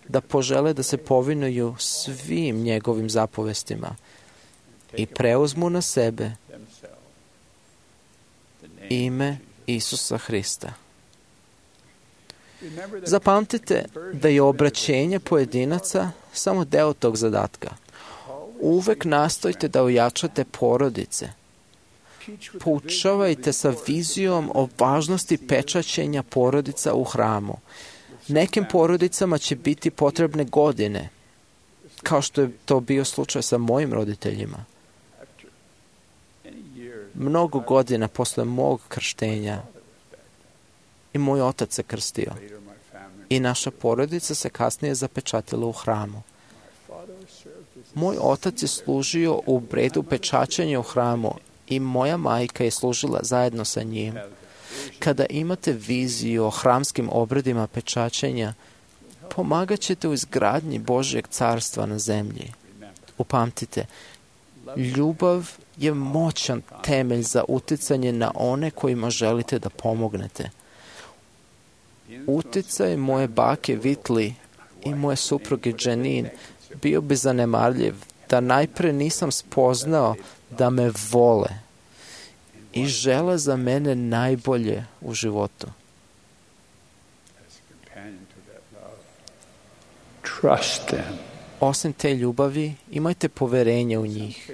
C: da požele da se povinuju svim njegovim zapovestima i preuzmu na sebe ime Isusa Hrista. Zapamtite da je obraćenje pojedinaca samo deo tog zadatka. Uvek nastojte da ojačate porodice. Poučavajte sa vizijom o važnosti pečaćenja porodica u hramu. Nekim porodicama će biti potrebne godine, kao što je to bio slučaj sa mojim roditeljima. Mnogo godina posle mog krštenja i moj otac se krstio. I naša porodica se kasnije zapečatila u hramu. Moj otac je služio u obredu pečaćenja u hramu i moja majka je služila zajedno sa njim. Kada imate viziju o hramskim obredima pečaćenja, pomagat ćete u izgradnji Božjeg carstva na zemlji. Upamtite, ljubav je moćan temelj za uticanje na one kojima želite da pomognete. Uticaj moje bake Vitli i moje supruge Janine bio bi zanemarljiv da najpre nisam spoznao da me vole i žele za mene najbolje u životu. Osim te ljubavi, imajte poverenje u njih.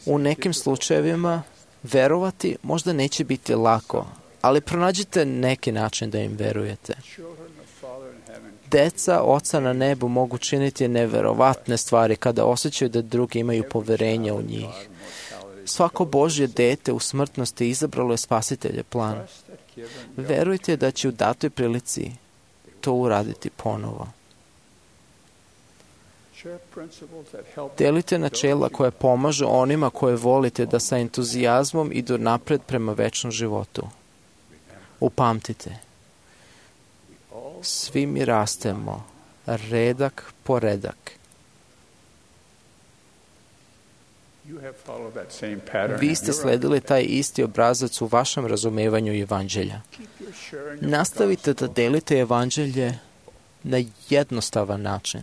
C: U nekim slučajevima verovati možda neće biti lako, ali pronađite neki način da im verujete. Deca Oca na nebu mogu činiti neverovatne stvari kada osjećaju da drugi imaju poverenja u njih. Svako Božje dete u smrtnosti izabralo je Spasitelje plan. Verujte da će u datoj prilici to uraditi ponovo. Delite načela koje pomažu onima koje volite da sa entuzijazmom idu napred prema večnom životu. Upamtite, svi mi rastemo, redak po redak. Vi ste sledili taj isti obrazac u vašem razumevanju evanđelja. Nastavite da delite evanđelje na jednostavan način.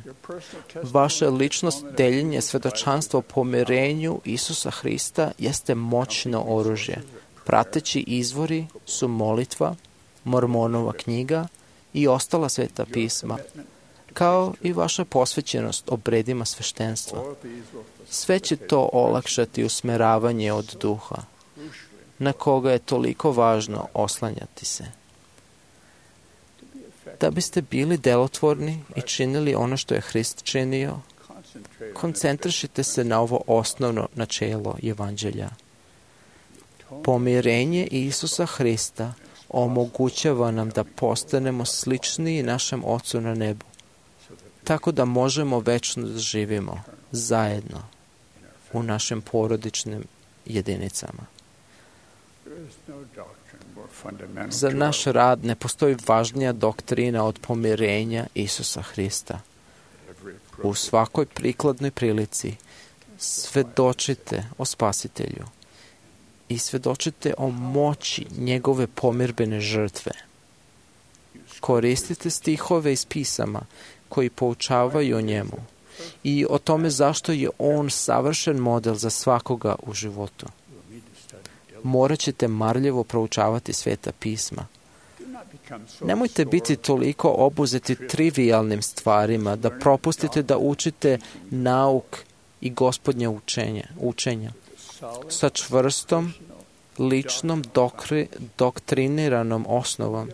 C: Vaša ličnost deljenje svedočanstva o pomirenju Isusa Hrista jeste moćno oružje. Prateći izvori su molitva, Mormonova knjiga i ostala sveta pisma. kao i vaša posvećenost obredima sveštenstva. Sve će to olakšati usmeravanje od duha, na koga je toliko važno oslanjati se. Da biste bili delotvorni i činili ono što je Hrist činio, koncentrišite se na ovo osnovno načelo Evanđelja. Pomirenje Isusa Hrista omogućava nam da postanemo sličniji našem Ocu na nebu, tako da možemo večno da živimo zajedno u našim porodičnim jedinicama. Za naš rad ne postoji važnija doktrina od pomirenja Isusa Hrista. U svakoj prikladnoj prilici svedočite o Spasitelju i svedočite o moći njegove pomirbene žrtve. Koristite stihove iz pisama koji poučavaju o njemu i o tome zašto je on savršen model za svakoga u životu. Morat ćete marljivo proučavati Sveta pisma. Nemojte biti toliko obuzeti trivijalnim stvarima da propustite da učite nauk i Gospodnje učenja sa čvrstom, ličnom, doktriniranom osnovom.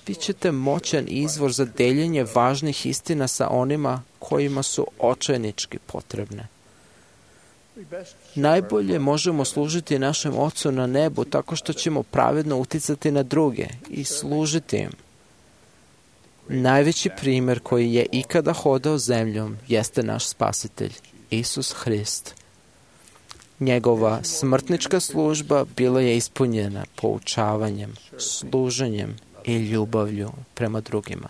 C: Vi ćete moćan izvor za deljenje važnih istina sa onima kojima su očajnički potrebne. Najbolje možemo služiti našem Ocu na nebu tako što ćemo pravedno uticati na druge i služiti im. Najveći primjer koji je ikada hodao zemljom jeste naš Spasitelj, Isus Hrist. Njegova smrtnička služba bila je ispunjena poučavanjem, služenjem i ljubavlju prema drugima.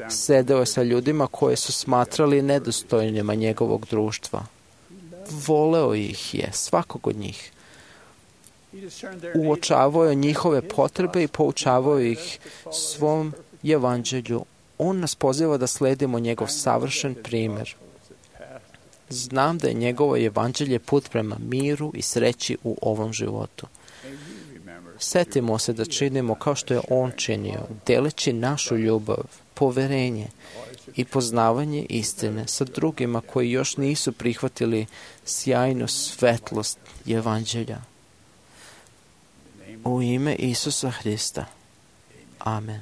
C: Sedeo je sa ljudima koje su smatrali nedostojnima njegovog društva. Voleo ih je, svakog od njih. Uočavao je njihove potrebe i poučavao ih svom evanđelju. On nas poziva da sledimo njegov savršen primjer. Znam da je njegovo evanđelje put prema miru i sreći u ovom životu. Setimo se da činimo kao što je on činio, deleći našu ljubav, poverenje i poznavanje istine sa drugima koji još nisu prihvatili sjajnu svetlost evanđelja. U ime Isusa Hrista. Amen.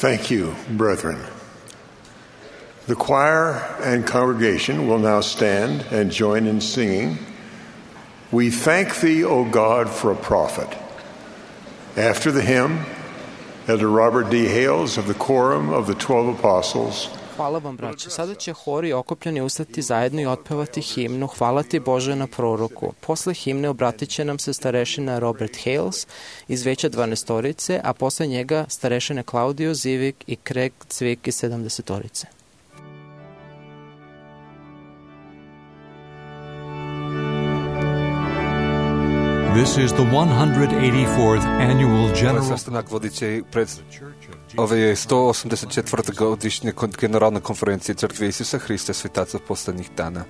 G: Thank you, brethren. The choir and congregation will now stand and join in singing, "We Thank Thee, O God, for a Prophet." After the hymn, Elder Robert D. Hales of the Quorum of the 12 Apostles.
C: Hvala vam, braće. Sada će hori okupljeni ustati zajedno i otpevati himnu Hvala ti Bože na proroku. Posle himne obratit će nam se starešina Robert Hales iz Veća 12-torice, a posle njega starešine Claudio Zivik i Craig Cvik iz 70-torice.
A: This is the 184th annual general...
B: Sastanak vodiće pred ove je 184. godišnje generalne konferencije Crkve Isusa Hrista svetaca poslednjih dana.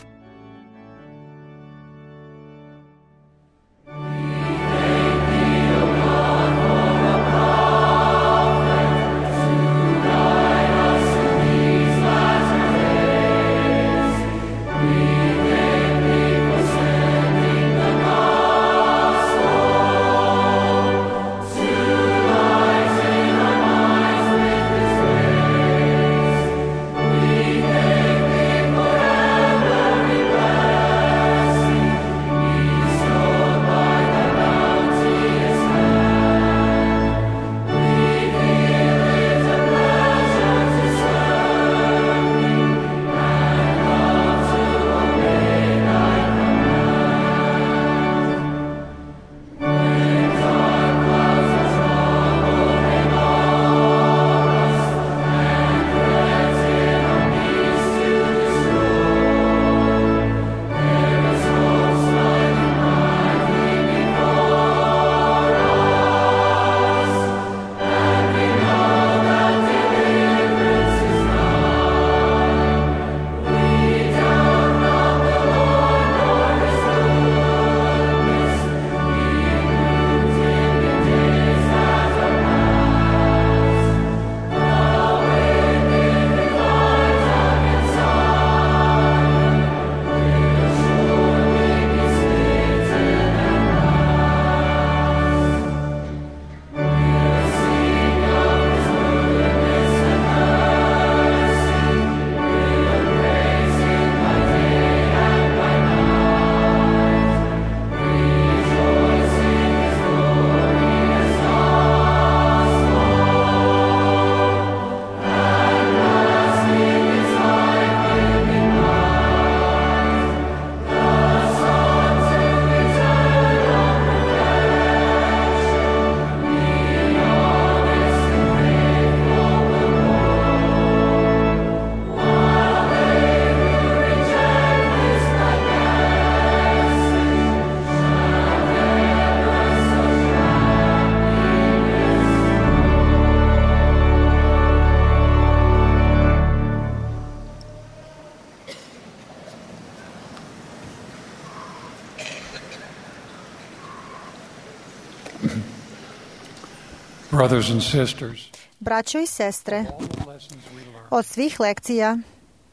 D: Brothers and sisters,
J: Braćo i sestre,
D: all the lessons we learned
J: od svih lekcija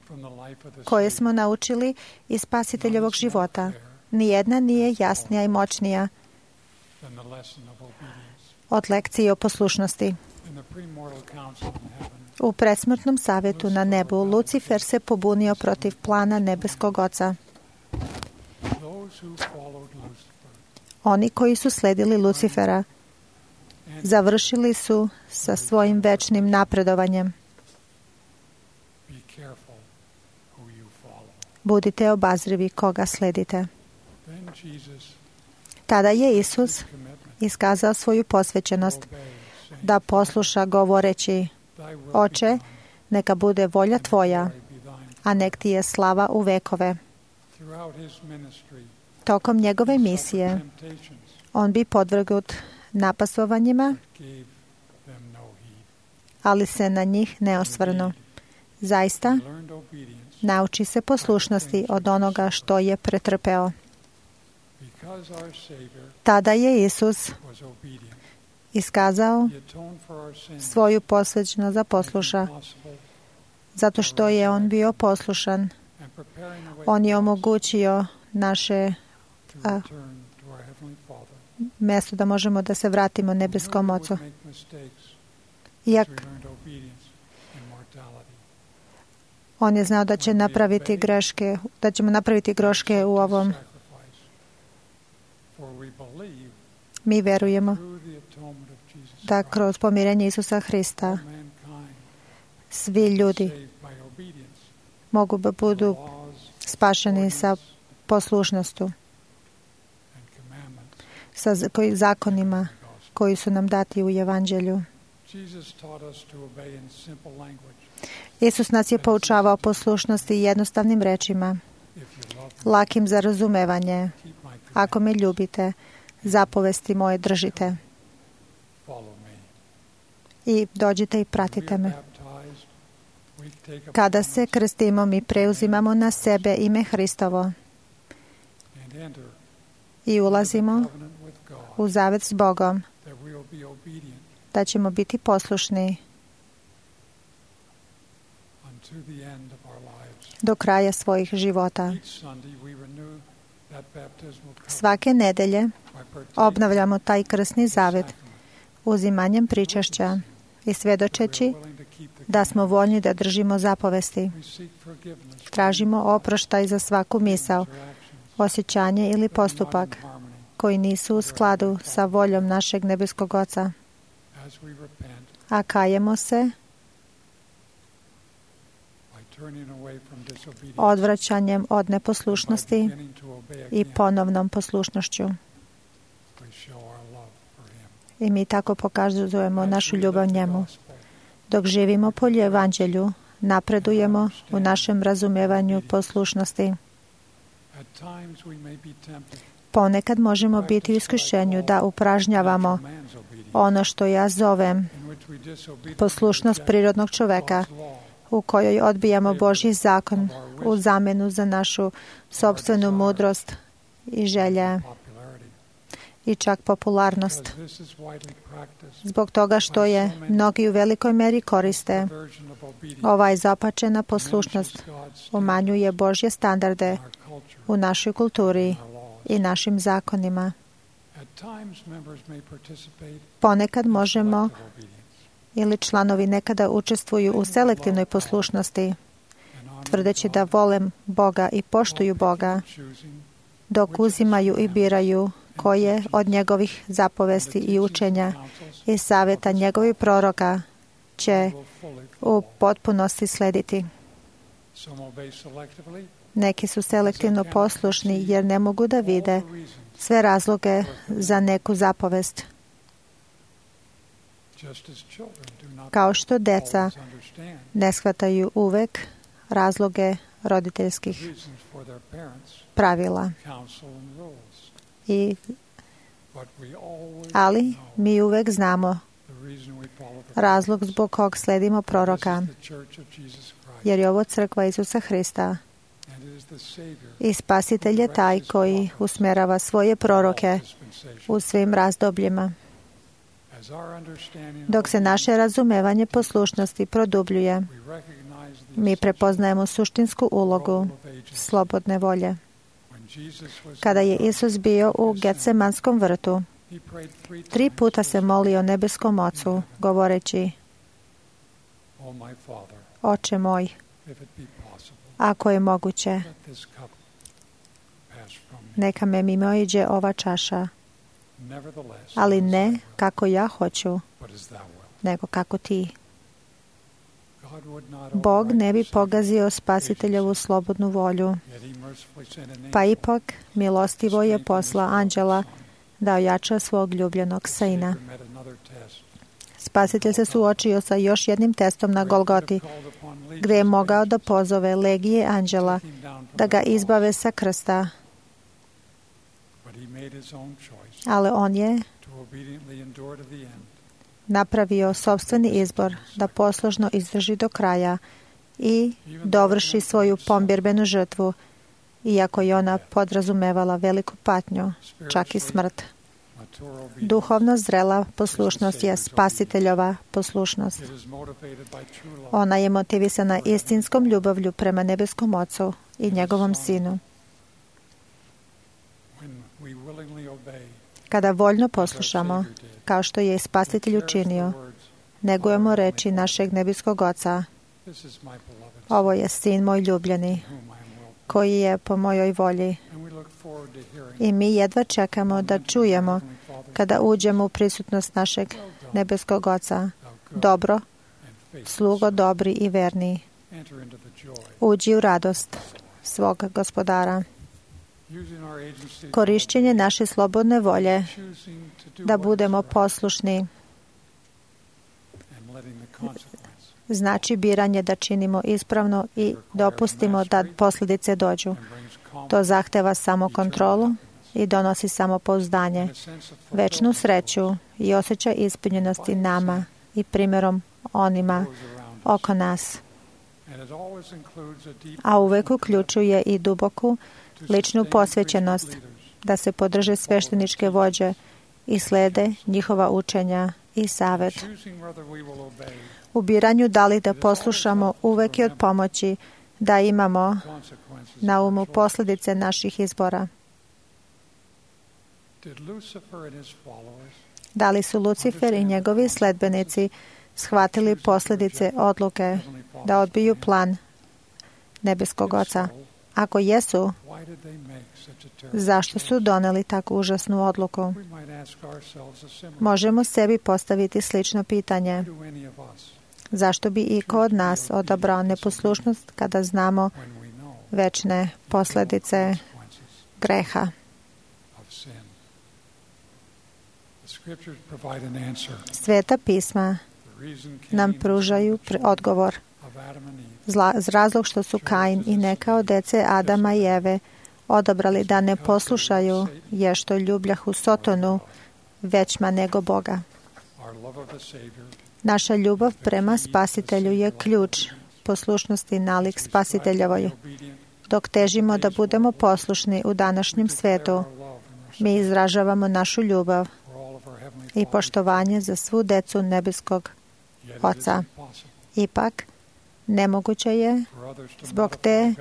D: from the life of the
J: koje
D: Savior,
J: smo naučili iz Spasiteljevog života, nijedna nije jasnija i moćnija
D: than the lesson of obedience.
J: od lekcije o poslušnosti.
D: In the premortal council in heaven,
J: U predsmrtnom savjetu na nebu, Lucifer se pobunio protiv plana nebeskog Oca.
D: those who followed Lucifer
J: Oni koji su sledili Lucifera završili su sa svojim večnim napredovanjem.
D: be careful who you follow.
J: Budite obazrivi koga sledite.
D: Then Jesus
J: Tada je Isus
D: commitment
J: iskazao svoju posvećenost
D: obey, saying,
J: da posluša govoreći:
D: Thy will be
J: Oče,
D: done,
J: neka bude volja Tvoja,
D: glory be thine.
J: a nek Ti je slava u vekove.
D: Throughout his ministry,
J: Tokom njegove
D: he
J: misije
D: suffered temptations,
J: on bi podvrgnut napasovanjima,
D: gave them no heed.
J: ali se na njih ne osvrnu. Zaista,
D: He learned obedience
J: nauči se poslušnosti od onoga što je pretrpeo.
D: because our Savior
J: Tada je Isus
D: was obedient.
J: iskazao
D: He atoned for our sins,
J: svoju posvećenost da posluša.
D: possible,
J: Zato što je on bio poslušan,
D: and preparing the way
J: on je
D: for us
J: omogućio naše
D: to
J: a,
D: return to our Heavenly Father.
J: mesto da možemo da se vratimo nebeskom
D: We
J: Ocu.
D: would make mistakes
J: Iako
D: as we learned obedience and mortality.
J: on je znao da će napraviti greške, da ćemo napraviti greške u ovom.
D: Sacrifice. For we believe
J: Mi verujemo
D: through the atonement of Jesus
J: da
D: Christ,
J: kroz pomirenje Isusa Hrista
D: all mankind
J: svi ljudi
D: saved by obedience
J: mogu da
D: to
J: budu
D: laws,
J: spašeni sa
D: ordinances,
J: poslušnostu,
D: and commandments
J: sa zakonima
D: of the gospel.
J: koji su nam dati u Evanđelju.
D: Jesus taught us to obey in simple language.
J: Isus nas je poučavao poslušnosti jednostavnim rečima,
D: If you love me,
J: lakim za razumevanje.
D: keep my
J: Ako me
D: commandments,
J: ljubite, zapovesti moje držite
D: follow me.
J: i dođite i
D: When we
J: pratite
D: are
J: me.
D: baptized, we take
J: Kada
D: upon
J: se
D: us
J: krstimo, mi preuzimamo na sebe ime Hristovo
D: and enter
J: i ulazimo
D: covenant with God
J: u zavet s Bogom,
D: that we will be obedient
J: da ćemo biti poslušni
D: unto the end of our lives.
J: do kraja svojih života.
D: Each Sunday we renew that baptismal covenant
J: Svake nedelje
D: by partaking
J: obnavljamo taj krsni
D: in the
J: zavet
D: sacrament,
J: uzimanjem pričašća i svedočeći
D: we are willing to keep the
J: da smo voljni da držimo zapovesti.
D: We seek forgiveness for
J: Tražimo oproštaj za svaku misao,
D: interactions
J: osjećanje ili
D: that are not
J: postupak
D: in harmony.
J: koji nisu u skladu sa voljom našeg nebeskog Oca.
D: As we repent
J: A kajemo se
D: by turning away from disobedience
J: odvraćanjem od
D: and by
J: neposlušnosti
D: beginning to obey
J: i
D: again,
J: ponovnom poslušnošću.
D: we show our love for him.
J: I mi tako pokazujemo
D: As
J: našu
D: we
J: ljubav
D: live the
J: njemu.
D: gospel,
J: Dok živimo po Evanđelju, napredujemo u našem razumevanju poslušnosti.
D: at times we may be tempted
J: Ponekad možemo biti u iskušenju da upražnjavamo
D: natural man's obedience,
J: ono što ja zovem
D: in which we disobediently
J: poslušnost
D: reject
J: prirodnog čoveka,
D: God's law,
J: u kojoj odbijamo Božji zakon u zamenu za našu sopstvenu mudrost i želje
D: popularity.
J: i čak popularnost.
D: Because this is widely practiced,
J: Zbog toga što je mnogi u velikoj meri koriste,
D: version of obedience
J: ova izopačena poslušnost
D: diminishes God's
J: umanjuje Božje standarde
D: in our culture
J: u našoj kulturi
D: and our laws.
J: i našim zakonima.
D: At times members may participate
J: Ponekad
D: in
J: možemo
D: selective obedience
J: ili članovi nekada učestvuju u selektivnoj poslušnosti,
D: and honor
J: tvrdeći
D: God
J: da vole Boga i poštuju Boga,
D: choosing
J: dok uzimaju i biraju koje od njegovih zapovesti i učenja i savjeta njegovih proroka će
D: will fully
J: u
D: follow.
J: potpunosti slediti.
D: Some obey selectively
J: Neki su selektivno poslušni jer ne mogu da vide
D: all the reasons,
J: sve razloge za neku zapovest.
D: just as children do not
J: Kao što deca
D: always understand
J: ne shvataju uvek razloge roditeljskih
D: the reasons for their parents'
J: pravila.
D: counsel and rules.
J: I,
D: But we always
J: ali
D: know
J: mi uvek znamo
D: the reason we follow the
J: razlog zbog kog sledimo proroka,
D: This is the Church of Jesus Christ,
J: jer je ovo crkva Isusa Hrista
D: and it is the Savior
J: i Spasitelj je taj koji usmerava svoje proroke
D: dispensation
J: u svim razdobljima.
D: as
J: Dok se naše razumevanje poslušnosti produbljuje, mi prepoznajemo suštinsku ulogu slobodne volje. Kada je Isus bio u Getsemanskom vrtu, 3 puta se molio nebeskom Ocu, govoreći: Oče moj, ako je moguće, neka me mimoiđe ova čaša, ali ne kako ja hoću, nego kako ti. Bog ne bi pogazio Spasiteljovu slobodnu volju, pa ipak milostivo je posla anđela da ojača svog ljubljenog sina. Spasitelj se suočio sa još jednim testom na Golgoti, gdje je mogao da pozove legije anđela da ga izbave sa krsta, ali on je napravio sopstveni izbor da poslušno izdrži do kraja i dovrši svoju pomirbenu žrtvu, iako je ona podrazumevala veliku patnju, čak i smrt. Duhovno zrela poslušnost je Spasiteljova poslušnost. Ona je motivisana istinskom ljubavlju prema nebeskom Ocu i njegovom Sinu. Kada voljno poslušamo, kao što je Spasitelj učinio, negujemo reči našeg nebeskog Oca: Ovo je Sin moj ljubljeni, koji je po mojoj volji. I mi jedva čekamo da čujemo kada uđemo u prisutnost našeg nebeskog Oca: Dobro, slugo dobri i verni, uđi u radost svog Gospodara. Korišćenje naše slobodne volje da budemo poslušni znači biranje da činimo ispravno i dopustimo da posljedice dođu. To zahteva samokontrolu i donosi samopouzdanje, večnu sreću i osjećaj ispunjenosti nama i primjerom onima oko nas. A uvek uključuje i duboku ličnu posvećenost da se podrže svešteničke vođe i slede njihova učenja i savjet. U biranju da li da poslušamo uvek je od pomoći da imamo na umu posljedice naših izbora. Da li su Lucifer i njegovi sledbenici shvatili posljedice odluke da odbiju plan nebeskog Oca? Ako jesu, zašto su doneli tako užasnu odluku? Možemo sebi postaviti slično pitanje: zašto bi iko od nas odabrao neposlušnost kada znamo večne posljedice greha? Sveta pisma nam pružaju odgovor. Razlog što su Kain i neka od dece Adama i Eve odabrali da ne poslušaju je što ljubljahu Sotonu većma nego Boga. Naša ljubav prema Spasitelju je ključ poslušnosti nalik Spasiteljevoj. Dok težimo da budemo poslušni u današnjem svetu, mi izražavamo našu ljubav i poštovanje za svu decu nebeskog Oca. Ipak, nemoguće je zbog te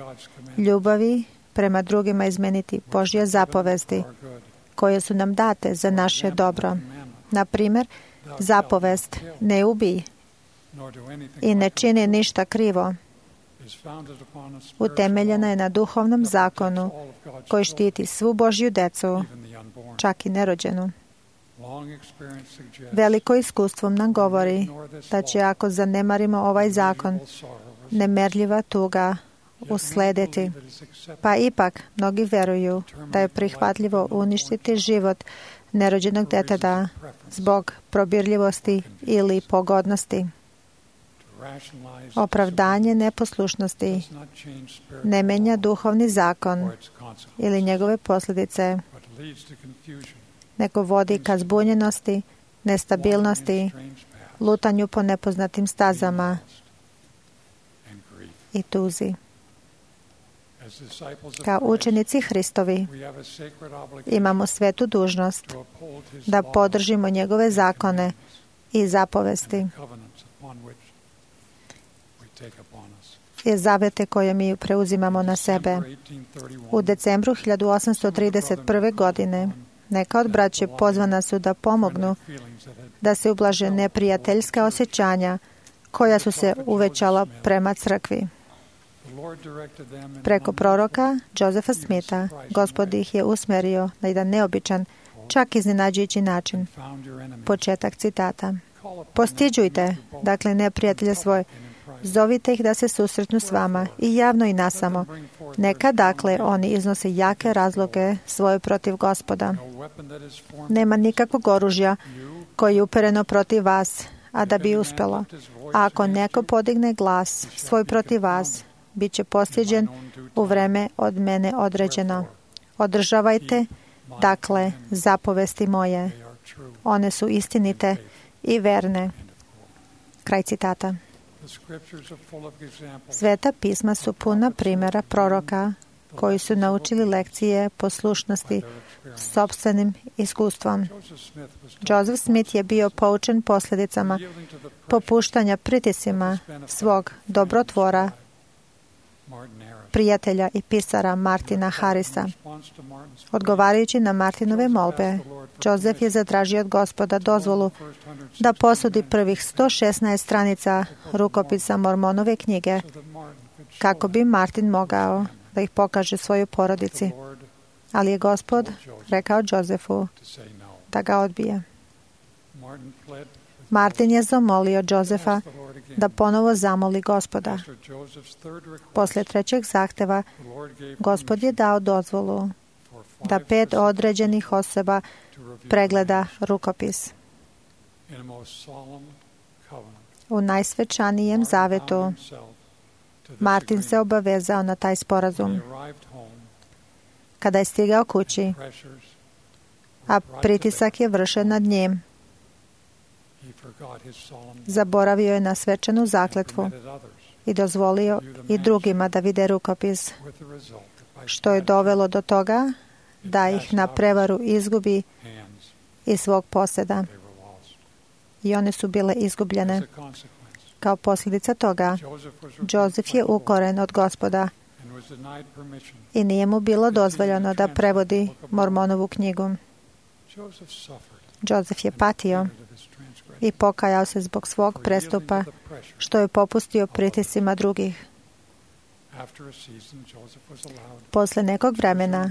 J: ljubavi prema drugima izmeniti Božje zapovesti koje su nam date za naše dobro. Na primjer, zapovest ne ubij i ne čini ništa krivo utemeljena je na duhovnom zakonu koji štiti svu Božju decu, čak i nerođenu. Veliko iskustvo nam govori da će, ako zanemarimo ovaj zakon, nemerljiva tuga uslediti. Pa ipak, mnogi veruju da je prihvatljivo uništiti život nerođenog deteta zbog probirljivosti ili pogodnosti. Opravdanje neposlušnosti ne menja duhovni zakon ili njegove posljedice, nego vodi ka zbunjenosti, nestabilnosti, lutanju po nepoznatim stazama i tuzi. Kao učenici Hristovi imamo svetu dužnost da podržimo njegove zakone i zapovesti i zavete koje mi preuzimamo na sebe. U decembru 1831. godine neka od braće pozvana su da pomognu da se ublaže neprijateljska osjećanja koja su se uvećala prema crkvi. Preko proroka Josefa Smitha Gospod ih je usmerio na jedan neobičan, čak iznenađujući način. Početak citata. Postiđujte, dakle, neprijatelje svoje, zovite ih da se susretnu s vama i javno i nasamo. Neka, dakle, oni iznose jake razloge svoje protiv Gospoda. Nema nikakvog oružja koje je upereno protiv vas, a da bi uspelo. A ako neko podigne glas svoj protiv vas, bit će postiđen u vreme od mene određeno. Održavajte, dakle, zapovesti moje. One su istinite i verne. Kraj citata. Sveta pisma su puna primjera proroka koji su naučili lekcije poslušnosti sopstvenim iskustvom. Joseph Smith je bio poučen posljedicama popuštanja pritiscima svog dobrotvora, prijatelja i pisara Martina Harrisa. Odgovarajući na Martinove molbe, Joseph je zatražio od Gospoda dozvolu da posudi prvih 116 stranica rukopisa Mormonove knjige, kako bi Martin mogao da ih pokaže svojoj porodici. Ali je Gospod rekao Josephu da ga odbije. Martin je zamolio Josefa da ponovo zamoli Gospoda. Posle trećeg zahteva, Gospod je dao dozvolu da 5 određenih osoba pregleda rukopis. U najsvečanijem zavetu Martin se obavezao na taj sporazum. Kada je stigao kući, a pritisak je vršen nad njim, zaboravio je na svečanu zakletvu i dozvolio i drugima da vide rukopis, što je dovelo do toga da ih na prevaru izgubi iz svog posjeda. I one su bile izgubljene. Kao posljedica toga, Joseph je ukoren od Gospoda i nije mu bilo dozvoljeno da prevodi Mormonovu knjigu. Joseph je patio i pokajao se zbog svog prestupa, što je popustio pritiscima drugih. Posle nekog vremena,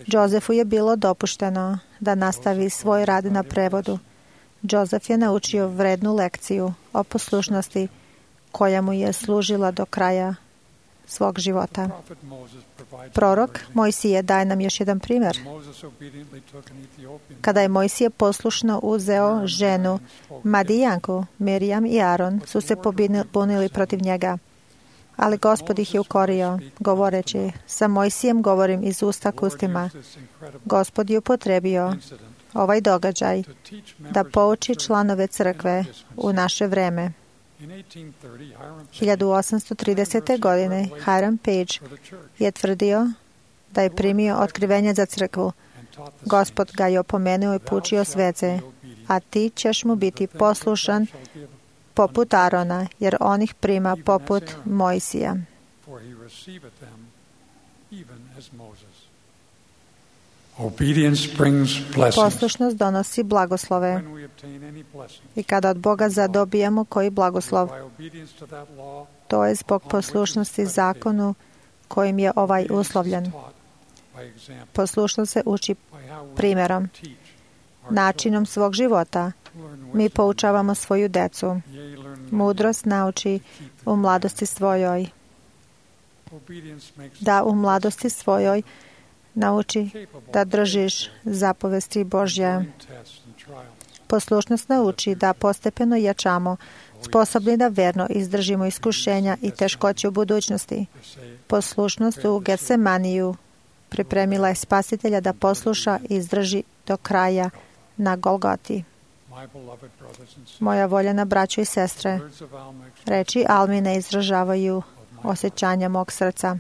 J: Josephu je bilo dopušteno da nastavi svoj rad na prevodu. Joseph je naučio vrednu lekciju o poslušnosti koja mu je služila do kraja svog života. Prorok Mojsije daje nam još jedan primjer. Kada je Mojsije poslušno uzeo ženu Madijanku, Mirijam i Aron su se pobunili protiv njega. Ali Gospod ih je ukorio, govoreći, sa Mojsijem govorim iz usta k ustima. Gospod je upotrebio ovaj događaj da pouči članove crkve u naše vreme. 1830. godine Hiram Page je tvrdio da je primio otkrivenje za crkvu. Gospod ga je opomenuo i poučio svece, a ti ćeš mu biti poslušan poput Arona, jer on ih prima poput Mojsija. Poslušnost donosi blagoslove. I kada od Boga zadobijemo koji blagoslov, to je zbog poslušnosti zakonu kojim je ovaj uslovljen. Poslušnost se uči primjerom, načinom svog života. Mi poučavamo svoju decu. Mudrost nauči u mladosti svojoj. Da u mladosti svojoj nauči da držiš zapovesti Božje. Poslušnost nauči da postepeno jačamo, sposobni da verno izdržimo iskušenja i teškoće u budućnosti. Poslušnost u Getsemaniju pripremila je Spasitelja da posluša i izdrži do kraja na Golgoti. Moja voljena braćo i sestre, reči Almine izražavaju osjećanja mog srca.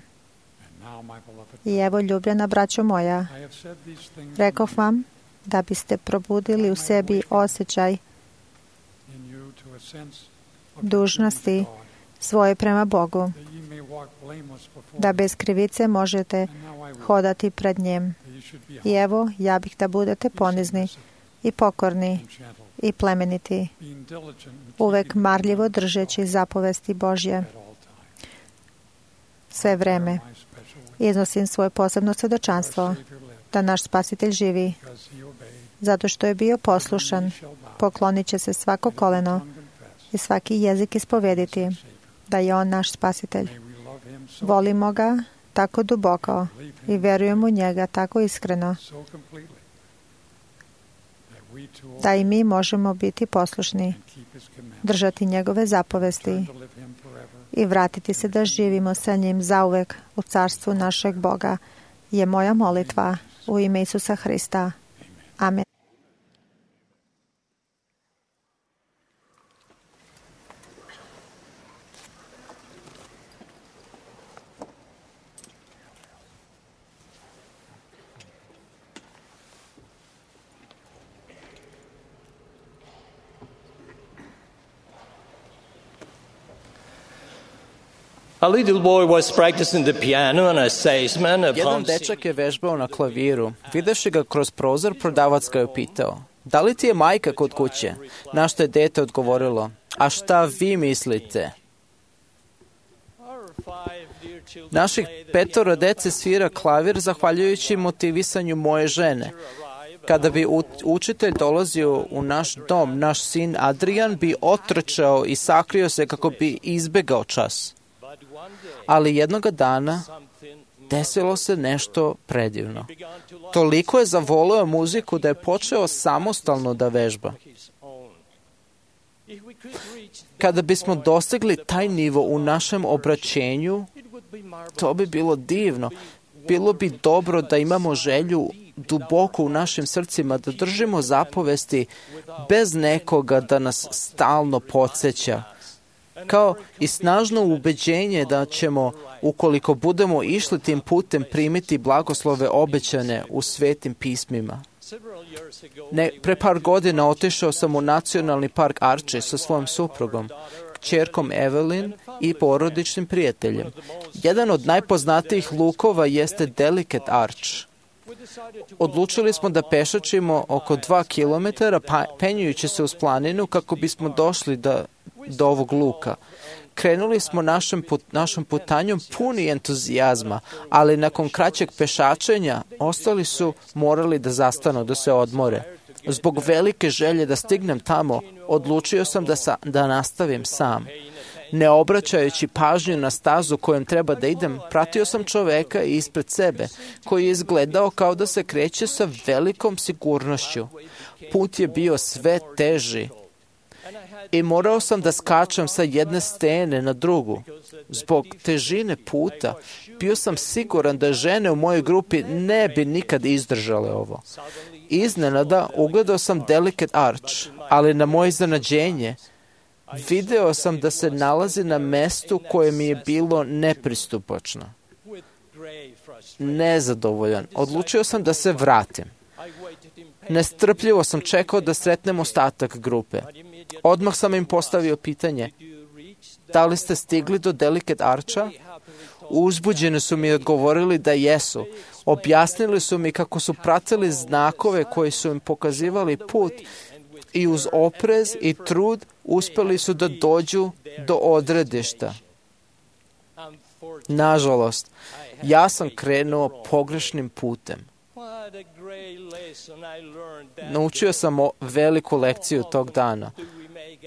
J: I evo, ljubljena braćo moja, rekoh vam da biste probudili u sebi osjećaj dužnosti svoje prema Bogu, da bez krivice možete hodati pred njim. I evo, ja bih da budete ponizni i pokorni i plemeniti, uvek marljivo držeći zapovesti Božje. Sve vreme iznosim svoje posebno svedočanstvo da naš Spasitelj živi. Zato što je bio poslušan, poklonit će se svako koleno i svaki jezik ispovediti da je On naš Spasitelj. Volimo ga tako duboko i verujemo u njega tako iskreno da i mi možemo biti poslušni, držati njegove zapovesti i vratiti se da živimo sa njim zauvek u carstvu našeg Boga, je moja molitva u ime Isusa Hrista. Amen.
K: A little boy was practicing the piano and a salesman
C: Jedan dečak je vežbao na klaviru. Videvši ga kroz prozor, prodavac ga je pitao: "Da li ti je majka kod kuće?" Na što je dete odgovorilo: "A šta vi mislite?" Naših 5 dece svira klavir zahvaljujući motivisanju moje žene. Kada bi učitelj dolazio u naš dom, naš sin Adrian bi otrčao i sakrio se kako bi izbegao čas. Ali jednoga dana desilo se nešto predivno. Toliko je zavoleo muziku da je počeo samostalno da vežba. Kada bismo dostigli taj nivo u našem obraćenju, to bi bilo divno. Bilo bi dobro da imamo želju duboko u našim srcima da držimo zapovesti bez nekoga da nas stalno podsjeća. Kao i snažno ubeđenje da ćemo, ukoliko budemo išli tim putem, primiti blagoslove obećane u svetim pismima. Pre par godina otišao sam u nacionalni park Arches sa svojom suprugom, kćerkom Evelyn i porodičnim prijateljem. Jedan od najpoznatijih lukova jeste Delicate Arch. Odlučili smo da pešačimo oko 2 kilometara penjujući se uz planinu kako bismo došli do ovog luka. Krenuli smo našom putanjom puni entuzijazma, ali nakon kraćeg pešačenja ostali su morali da zastanu, da se odmore. Zbog velike želje da stignem tamo, odlučio sam da nastavim sam. Ne obraćajući pažnju na stazu kojom treba da idem, pratio sam čoveka ispred sebe, koji je izgledao kao da se kreće sa velikom sigurnošću. Put je bio sve teži i morao sam da skačem sa jedne stene na drugu. Zbog težine puta, bio sam siguran da žene u mojoj grupi ne bi nikad izdržale ovo. Iznenada ugledao sam Delicate Arch, ali na moje iznenađenje, video sam da se nalazi na mestu koje mi je bilo nepristupačno. Nezadovoljan, odlučio sam da se vratim. Nestrpljivo sam čekao da sretnem ostatak grupe. Odmah sam im postavio pitanje: "Da li ste stigli do Delicate Archa?" Uzbuđeni su mi odgovorili da jesu. Objasnili su mi kako su pratili znakove koji su im pokazivali put i uz oprez i trud uspeli su da dođu do odredišta. Nažalost, ja sam krenuo pogrešnim putem. Naučio sam veliku lekciju tog dana.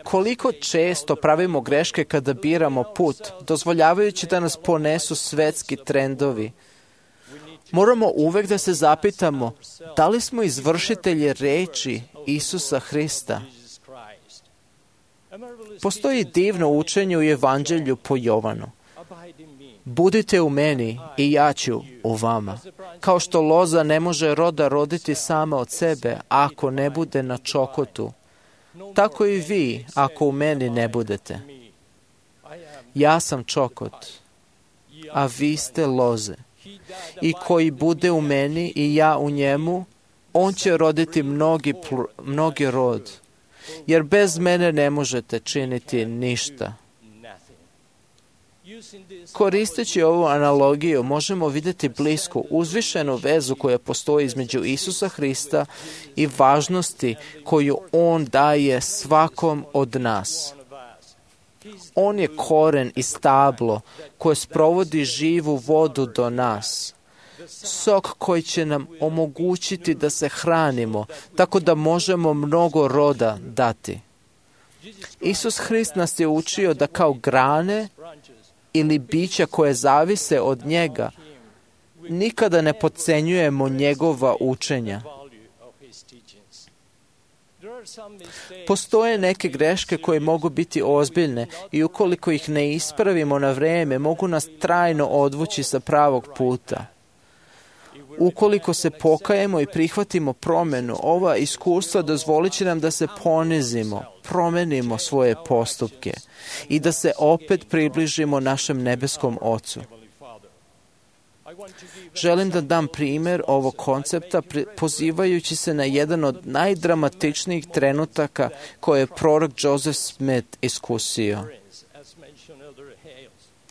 C: Koliko često pravimo greške kada biramo put, dozvoljavajući da nas ponesu svetski trendovi. Moramo uvek da se zapitamo da li smo izvršitelji reči Isusa Hrista. Postoji divno učenje u Evanđelju po Jovanu. Budite u meni i ja ću u vama. Kao što loza ne može roda roditi sama od sebe ako ne bude na čokotu, tako i vi ako u meni ne budete. Ja sam čokot, a vi ste loze. I koji bude u meni i ja u njemu, on će roditi mnogi rod. Jer bez mene ne možete činiti ništa. Koristeći ovu analogiju, možemo vidjeti blisku, uzvišenu vezu koja postoji između Isusa Hrista i važnosti koju On daje svakom od nas. On je koren i stablo koje sprovodi živu vodu do nas. Sok koji će nam omogućiti da se hranimo, tako da možemo mnogo roda dati. Isus Hrist nas je učio da kao grane ili bića koje zavise od njega, nikada ne podcenjujemo njegova učenja. Postoje neke greške koje mogu biti ozbiljne i ukoliko ih ne ispravimo na vreme, mogu nas trajno odvući sa pravog puta. Ukoliko se pokajemo i prihvatimo promjenu, ova iskustva dozvolit će nam da se ponizimo, promenimo svoje postupke i da se opet približimo našem nebeskom Ocu. Želim da dam primjer ovog koncepta pozivajući se na jedan od najdramatičnijih trenutaka koje je prorok Joseph Smith iskusio.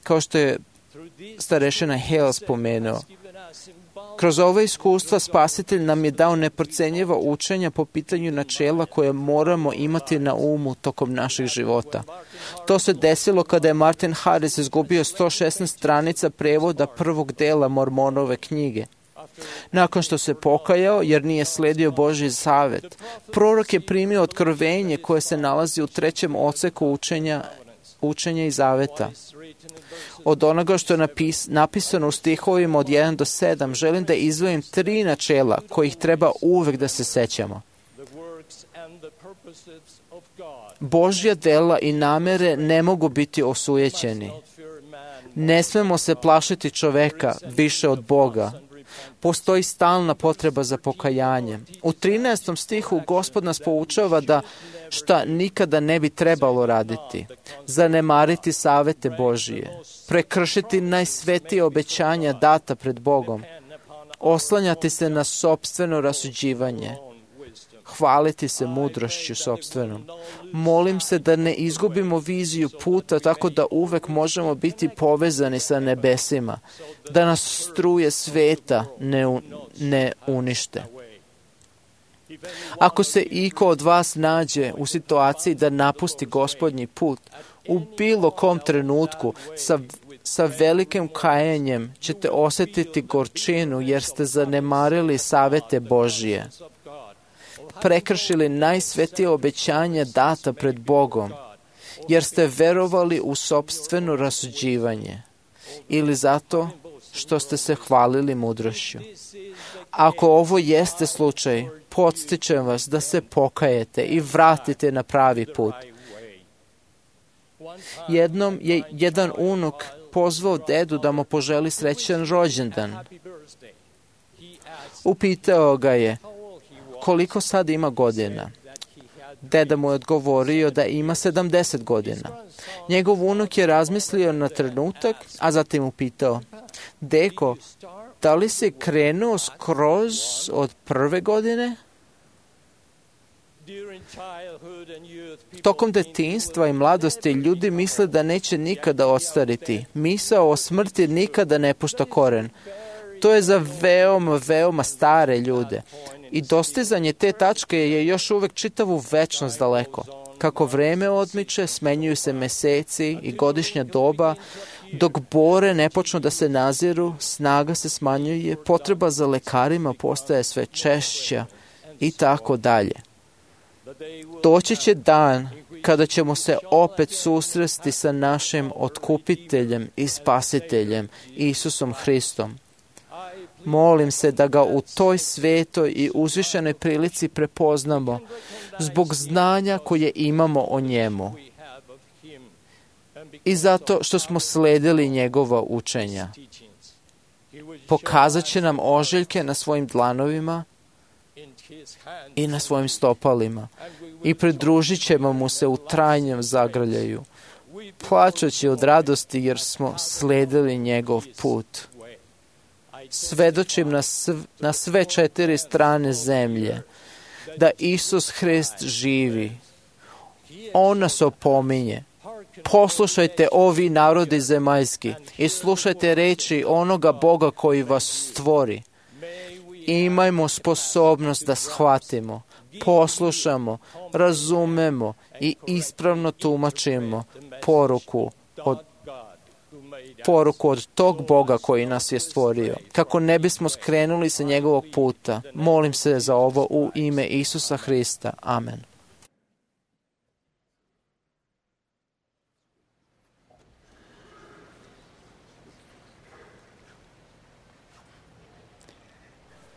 C: Kao što je starešina Hale spomenuo, kroz ove iskustva Spasitelj nam je dao neprocenjiva učenja po pitanju načela koje moramo imati na umu tokom naših života. To se desilo kada je Martin Harris izgubio 116 stranica prevoda prvog dela Mormonove knjige. Nakon što se pokajao jer nije sledio Božji zavet, prorok je primio otkrovenje koje se nalazi u 3. odseku učenja i zaveta. Od onoga što je napisano u stihovima od 1 do 7, želim da izdvojim 3 načela kojih treba uvek da se sećamo. Božja dela i namere ne mogu biti osujećeni. Ne smemo se plašiti čoveka više od Boga. Postoji stalna potreba za pokajanje. U 13. stihu Gospod nas poučava da šta nikada ne bi trebalo raditi. Zanemariti savete Božije. Prekršiti najsvetije obećanja data pred Bogom. Oslanjati se na sopstveno rasuđivanje. Hvaliti se mudrošću sopstvenom. Molim se da ne izgubimo viziju puta tako da uvek možemo biti povezani sa nebesima, da nas struje sveta ne unište. Ako se iko od vas nađe u situaciji da napusti Gospodnji put, u bilo kom trenutku sa velikim kajanjem ćete osjetiti gorčinu jer ste zanemarili savete Božije. Prekršili najsvetije obećanja data pred Bogom, jer ste verovali u sopstveno rasuđivanje ili zato što ste se hvalili mudrošću. Ako ovo jeste slučaj, podstičem vas da se pokajete i vratite na pravi put. Jednom je jedan unuk pozvao dedu da mu poželi srećan rođendan. Upitao ga je koliko sad ima godina. Deda mu je odgovorio da ima 70 godina. Njegov unuk je razmislio na trenutak, a zatim upitao: Deko, da li si krenuo skroz od prve godine? Tokom detinjstva i mladosti ljudi misle da neće nikada odstariti. Misao o smrti nikada ne pušta koren. To je za veoma stare ljude. I dostizanje te tačke je još uvek čitavu večnost daleko. Kako vreme odmiče, smenjuju se meseci i godišnja doba, dok bore ne počnu da se naziru, snaga se smanjuje, potreba za lekarima postaje sve češća i tako dalje. Doći će dan kada ćemo se opet susresti sa našim otkupiteljem i spasiteljem, Isusom Hristom. Molim se da ga u toj svetoj i uzvišenoj prilici prepoznamo zbog znanja koje imamo o njemu i zato što smo sledili njegova učenja. Pokazat će nam ožiljke na svojim dlanovima i na svojim stopalima i pridružit ćemo mu se u trajnom zagrljaju, plačući od radosti jer smo sledili njegov put. Svedočim na sve 4 strane zemlje da Isus Hrist živi. On nas opominje. Poslušajte ovi narodi zemaljski i slušajte reči onoga Boga koji vas stvori. Imajmo sposobnost da shvatimo, poslušamo, razumemo i ispravno tumačimo poruku od tog Boga koji nas je stvorio, kako ne bismo skrenuli sa njegovog puta. Molim se za ovo u ime Isusa Hrista. Amen.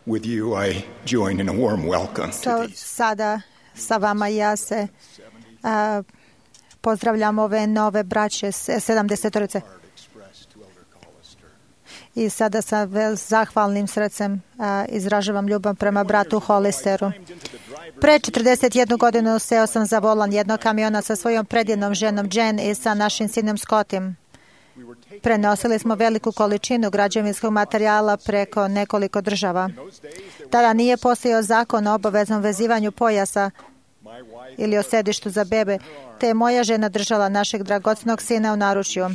L: With you I join in a warm welcome to these.
J: Sada sa vama ja se pozdravljam ove nove braće 70-orice. I sada sa zahvalnim srcem izražavam ljubav prema bratu Hollisteru. Pre 41 godinu seo sam za volan jednog kamiona sa svojom predivnom ženom Jen i sa našim sinom Scottim. Prenosili smo veliku količinu građevinskog materijala preko nekoliko država. Tada nije postojao zakon o obaveznom vezivanju pojasa ili o sedištu za bebe, te je moja žena držala našeg dragocenog sina u naručju.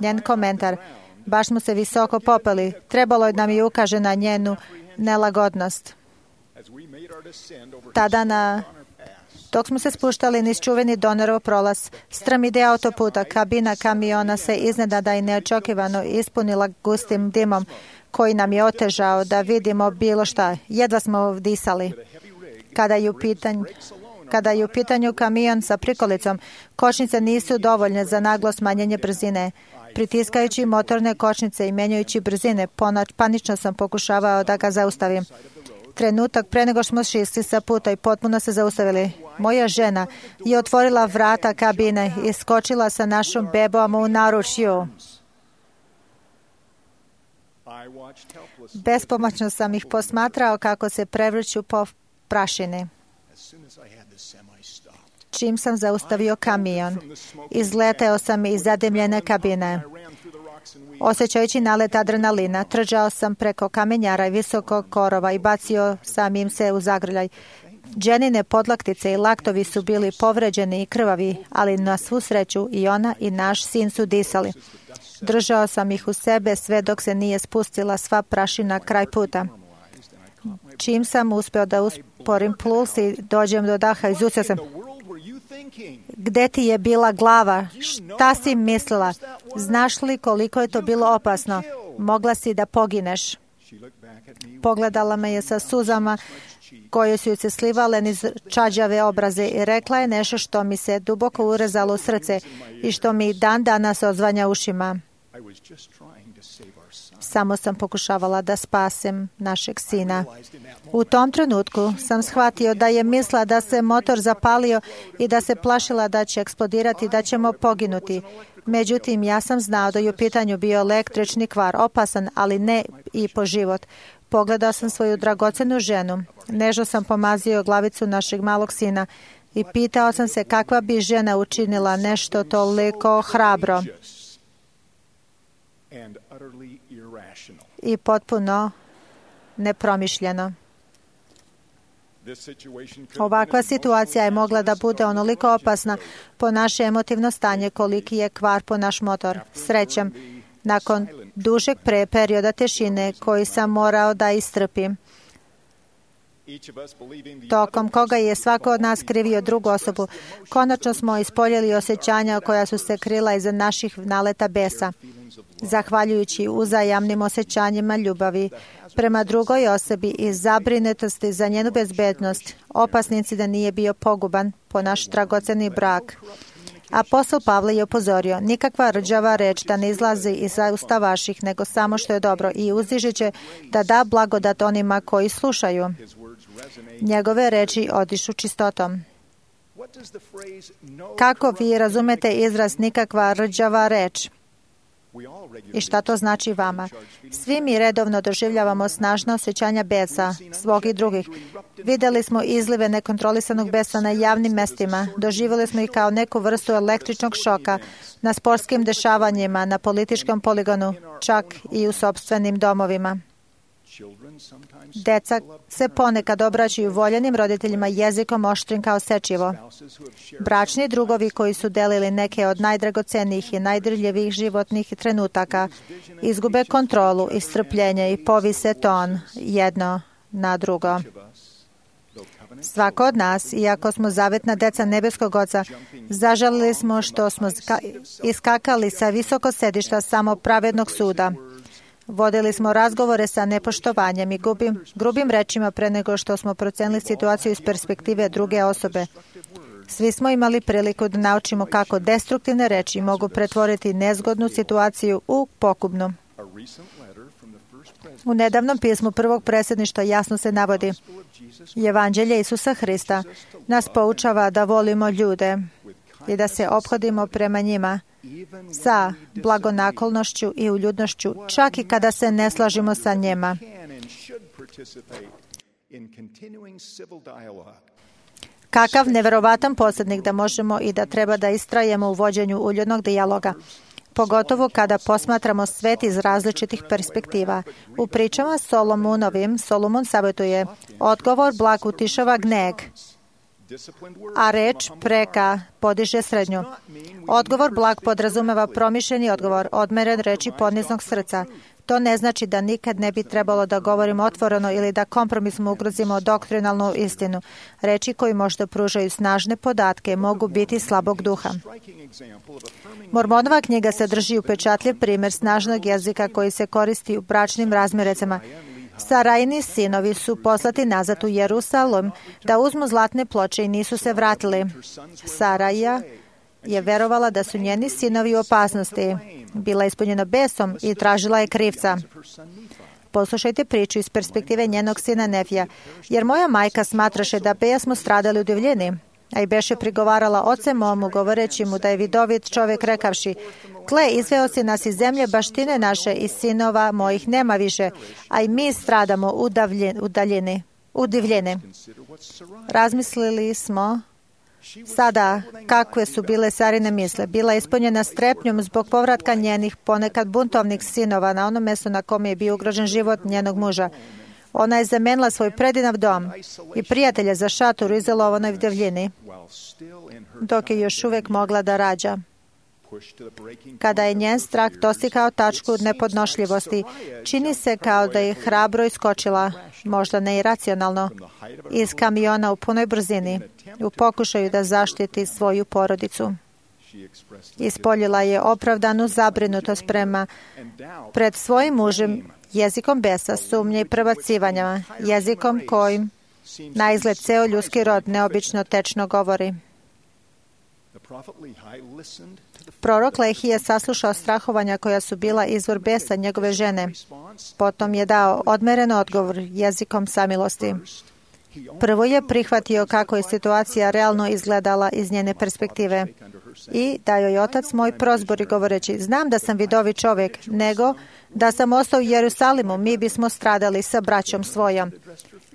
J: Njen komentar: baš smo se visoko popeli, trebalo je da mi ukaže na njenu nelagodnost. Tada dok smo se spuštali niz čuveni Donerov prolaz, strm ide autoputa, kabina kamiona se iznenada i neočekivano ispunila gustim dimom koji nam je otežao da vidimo bilo šta. Jedva smo disali. Kada je u pitanju kamion sa prikolicom, kočnice nisu dovoljne za naglo smanjenje brzine. Pritiskajući motorne kočnice i menjajući brzine, panično sam pokušavao da ga zaustavim. Trenutak pre nego smo šišli sa puta i potpuno se zaustavili. Moja žena je otvorila vrata kabine i skočila sa našom bebom u naručju. Bespomoćno sam ih posmatrao kako se prevrću po prašini. Čim sam zaustavio kamion, izleteo sam iz zadimljene kabine. Osjećajući nalet adrenalina, trčao sam preko kamenjara i visokog korova i bacio sam im se u zagrljaj. Dženine podlaktice i laktovi su bili povređeni i krvavi, ali na svu sreću i ona i naš sin su disali. Držao sam ih u sebe sve dok se nije spustila sva prašina kraj puta. Čim sam uspeo da usporim puls i dođem do daha, izustio sam: gde ti je bila glava? Šta si mislila? Znaš li koliko je to bilo opasno? Mogla si da pogineš. Pogledala me je sa suzama koje su se slivale niz čađave obraze i rekla je nešto što mi se duboko urezalo u srce i što mi dan danas odzvanja ušima. Samo sam pokušavala da spasem našeg sina. U tom trenutku sam shvatio da je mislila da se motor zapalio i da se plašila da će eksplodirati, da ćemo poginuti. Međutim, ja sam znao da je u pitanju bio električni kvar, opasan, ali ne i po život. Pogledao sam svoju dragocenu ženu. Nežno sam pomazio glavicu našeg malog sina i pitao sam se kakva bi žena učinila nešto toliko hrabro i potpuno nepromišljeno. Ovakva situacija je mogla da bude onoliko opasna po naše emotivno stanje koliki je kvar po naš motor. Srećom, nakon dužeg perioda tišine koji sam morao da istrpim, tokom koga je svako od nas krivio drugu osobu, konačno smo ispoljili osjećanja koja su se krila iza naših naleta besa. Zahvaljujući uzajamnim osjećanjima ljubavi prema drugoj osobi i zabrinutosti za njenu bezbednost, opasni incident nije bio poguban po naš dragoceni brak. Apostol Pavle je upozorio: nikakva rđava reč da ne izlazi iz usta vaših, nego samo što je dobro, i uzdižeće da da blagodat onima koji slušaju. Njegove reči odišu čistotom. Kako vi razumete izraz nikakva rđava reč? I šta to znači vama? Svi mi redovno doživljavamo snažna osjećanja besa, svog i drugih. Videli smo izlive nekontrolisanog besa na javnim mestima. Doživjeli smo ih kao neku vrstu električnog šoka na sportskim dešavanjima, na političkom poligonu, čak i u sopstvenim domovima. Deca se ponekad obraćaju voljenim roditeljima jezikom oštrim kao sečivo. Bračni drugovi koji su delili neke od najdragocenijih i najdirljivijih životnih trenutaka izgube kontrolu i strpljenje i povise ton jedno na drugo. Svako od nas, iako smo zavetna deca nebeskog Oca, zažalili smo što smo iskakali sa visoko sedišta samopravednog suda. Vodili smo razgovore sa nepoštovanjem i grubim rečima pre nego što smo procenili situaciju iz perspektive druge osobe. Svi smo imali priliku da naučimo kako destruktivne reči mogu pretvoriti nezgodnu situaciju u pogubnu. U nedavnom pismu prvog predsjedništva jasno se navodi: Evanđelje Isusa Hrista nas poučava da volimo ljude i da se ophodimo prema njima sa blagonaklonošću i uljudnošću, čak i kada se ne slažemo sa njima. Kakav neverovatan posrednik da možemo i da treba da istrajemo u vođenju uljudnog dijaloga, pogotovo kada posmatramo svet iz različitih perspektiva. U pričama Solomonovim, Solomon savjetuje: odgovor blag utišava gneg, a reč preka podiže srednju. Odgovor blag podrazumeva promišljeni odgovor, odmeren reči poniznog srca. To ne znači da nikad ne bi trebalo da govorimo otvoreno ili da kompromisno ugrozimo doktrinalnu istinu. Reči koji možda pružaju snažne podatke mogu biti slabog duha. Mormonova knjiga sadrži upečatljiv primjer snažnog jezika koji se koristi u bračnim razmerecama. Sarajini sinovi su poslati nazad u Jerusalem da uzmu zlatne ploče i nisu se vratili. Saraja je verovala da su njeni sinovi u opasnosti. Bila je ispunjena besom i tražila je krivca. Poslušajte priču iz perspektive njenog sina Nefija. Jer moja majka smatraše da beja smo stradali u divljini, a i beše prigovarala oce momu, govoreći mu da je vidovit čovjek, rekavši: gle, izveo si nas iz zemlje baštine naše i sinova mojih nema više, a i mi stradamo u divljini. Razmislili smo sada kakve su bile Sarine misle. Bila je ispunjena strepnjom zbog povratka njenih ponekad buntovnih sinova na ono mjesto na kome je bio ugrožen život njenog muža. Ona je zamenila svoj predinav dom i prijatelje za šator u izolovanoj divljini, dok je još uvijek mogla da rađa. Kada je njen strah dostigao tačku nepodnošljivosti, čini se kao da je hrabro iskočila, možda ne iracionalno, iz kamiona u punoj brzini, u pokušaju da zaštiti svoju porodicu. Ispoljila je opravdanu zabrinutost pred svojim mužem jezikom besa, sumnje i prebacivanja, jezikom kojim na izgled ceo ljudski rod neobično tečno govori. Prorok Lehi je saslušao strahovanja koja su bila izvor besa njegove žene. Potom je dao odmeren odgovor jezikom samilosti. Prvo je prihvatio kako je situacija realno izgledala iz njene perspektive i da joj otac moj prozbori govoreći: znam da sam vidovi čovjek, nego da sam ostao u Jerusalimu, mi bismo stradali sa braćom svojom.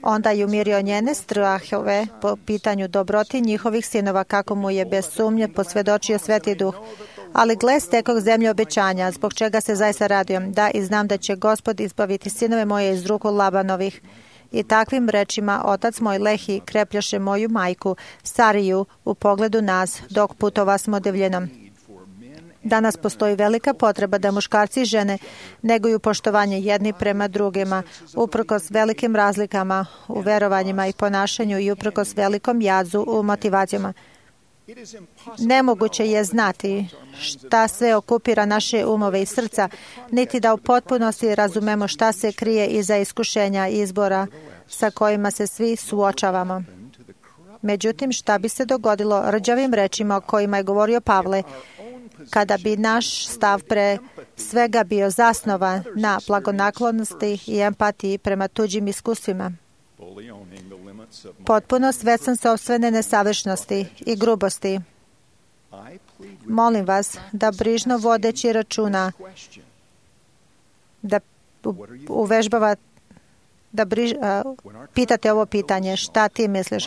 J: Onda je umirio njene strahove po pitanju dobroti njihovih sinova, kako mu je bez sumnje posvjedočio Sveti Duh. Ali gle, stekog zemlje obećanja, zbog čega se zaista radujem, da i znam da će Gospod izbaviti sinove moje iz ruku Labanovih. I takvim rečima otac moj Lehi krepljaše moju majku, Sariju, u pogledu nas, dok putova smo divljinom. Danas postoji velika potreba da muškarci i žene neguju poštovanje jedni prema drugima, uprkos velikim razlikama u verovanjima i ponašanju i uprkos velikom jazu u motivacijama. Nemoguće je znati šta sve okupira naše umove i srca, niti da u potpunosti razumemo šta se krije iza iskušenja i izbora sa kojima se svi suočavamo. Međutim, šta bi se dogodilo rđavim rečima o kojima je govorio Pavle, kada bi naš stav pre svega bio zasnovan na blagonaklonosti i empatiji prema tuđim iskustvima? Potpuno svestan sopstvene nesavršnosti i grubosti. Molim vas da brižno vodeći računa da pitate ovo pitanje: šta ti misliš?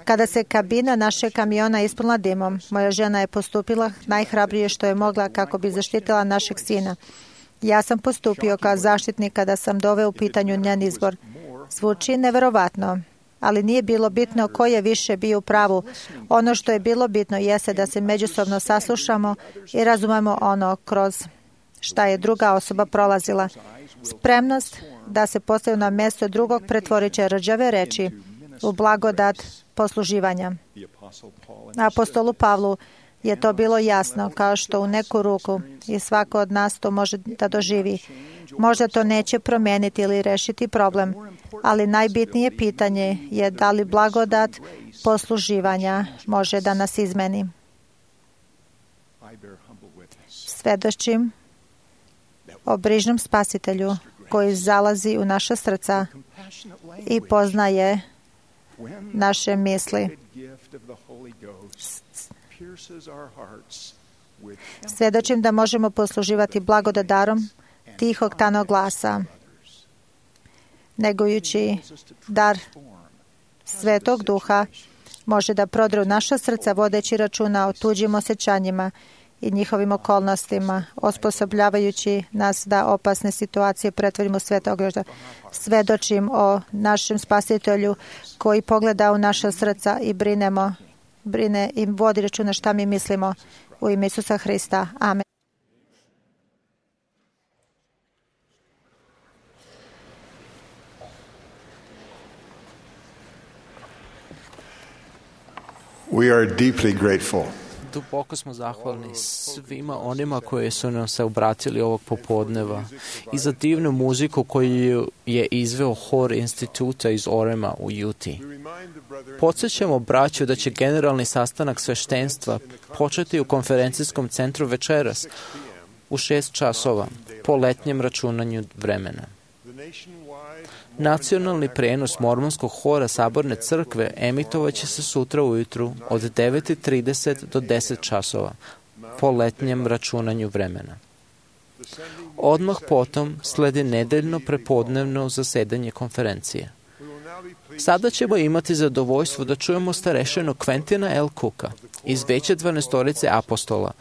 J: Kada se kabina našeg kamiona ispunila dimom, moja žena je postupila najhrabrije što je mogla kako bi zaštitila našeg sina. Ja sam postupio kao zaštitnik kada sam doveo u pitanju njen izbor. Zvuči neverovatno, ali nije bilo bitno ko je više bio u pravu. Ono što je bilo bitno jeste da se međusobno saslušamo i razumemo ono kroz šta je druga osoba prolazila. Spremnost da se postavi na mjesto drugog pretvorit će rđave reči u blagodat posluživanja. Apostolu Pavlu je to bilo jasno, kao što u neku ruku, i svako od nas to može da doživi. Možda to neće promijeniti ili rešiti problem, ali najbitnije pitanje je da li blagodat posluživanja može da nas izmeni. Svedočim o brižnom Spasitelju koji zalazi u naša srca i poznaje naše misli. Svedočim da možemo posluživati blagodat darom tihog tanog glasa, negujući dar Svetog Duha može da prodre u naša srca vodeći računa o tuđim osjećanjima i njihovim okolnostima, osposobljavajući nas da opasne situacije pretvorimo u Svetog Duha. Svedočim o našem Spasitelju koji pogleda u naša srca i brine i vodi računa šta mi mislimo, u ime Isusa Hrista. Amen.
G: We are deeply grateful.
C: Duboko smo zahvalni svima onima koji su nam se obratili ovog popodneva i za divnu muziku koju je izveo hor instituta iz Orema u Juti. Podsjećamo braću da će generalni sastanak sveštenstva početi u konferencijskom centru večeras u 6 časova po letnjem računanju vremena. Nacionalni prenos mormonskog hora Saborne crkve emitovaće se sutra ujutru od 9:30 do 10 časova po letnjem računanju vremena. Odmah potom sledi nedeljno prepodnevno zasedanje konferencije. Sada ćemo imati zadovoljstvo da čujemo starešinu Quentina L. Cooka iz veće 12 apostola,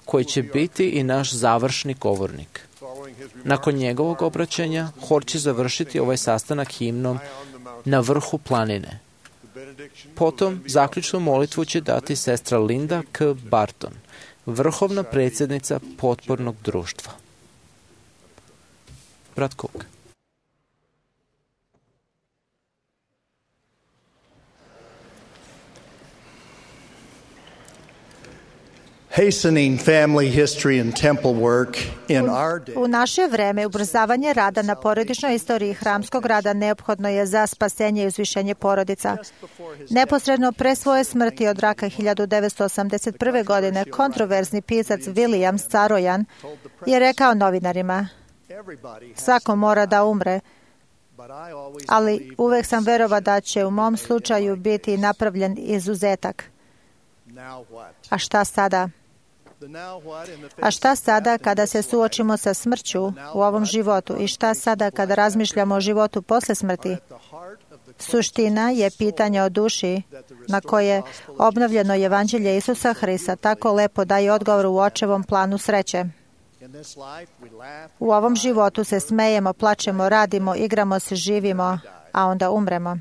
C: koji će biti i naš završni govornik. Nakon njegovog obraćanja, hor će završiti ovaj sastanak himnom Na vrhu planine. Potom zaključnu molitvu će dati sestra Linda K. Barton, vrhovna predsjednica potpornog društva. Brat Cook.
M: Hastening family history and temple work in our day.
J: U naše vreme ubrzavanje rada na porodičnoj istoriji hramskog rada neophodno je za spasenje i uzvišenje porodica. Neposredno pre svoje smrti od raka 1981. godine kontroverzni pisac William Sarojan je rekao novinarima: svako mora da umre, ali uvek sam verovao da će u mom slučaju biti napravljen izuzetak. A šta sada? A šta sada kada se suočimo sa smrću u ovom životu i šta sada kada razmišljamo o životu posle smrti? Suština je pitanje o duši na koje obnovljeno evanđelje Isusa Hrista tako lepo daje odgovor u očevom planu sreće. U ovom životu se smejemo, plačemo, radimo, igramo se, živimo, a onda umremo.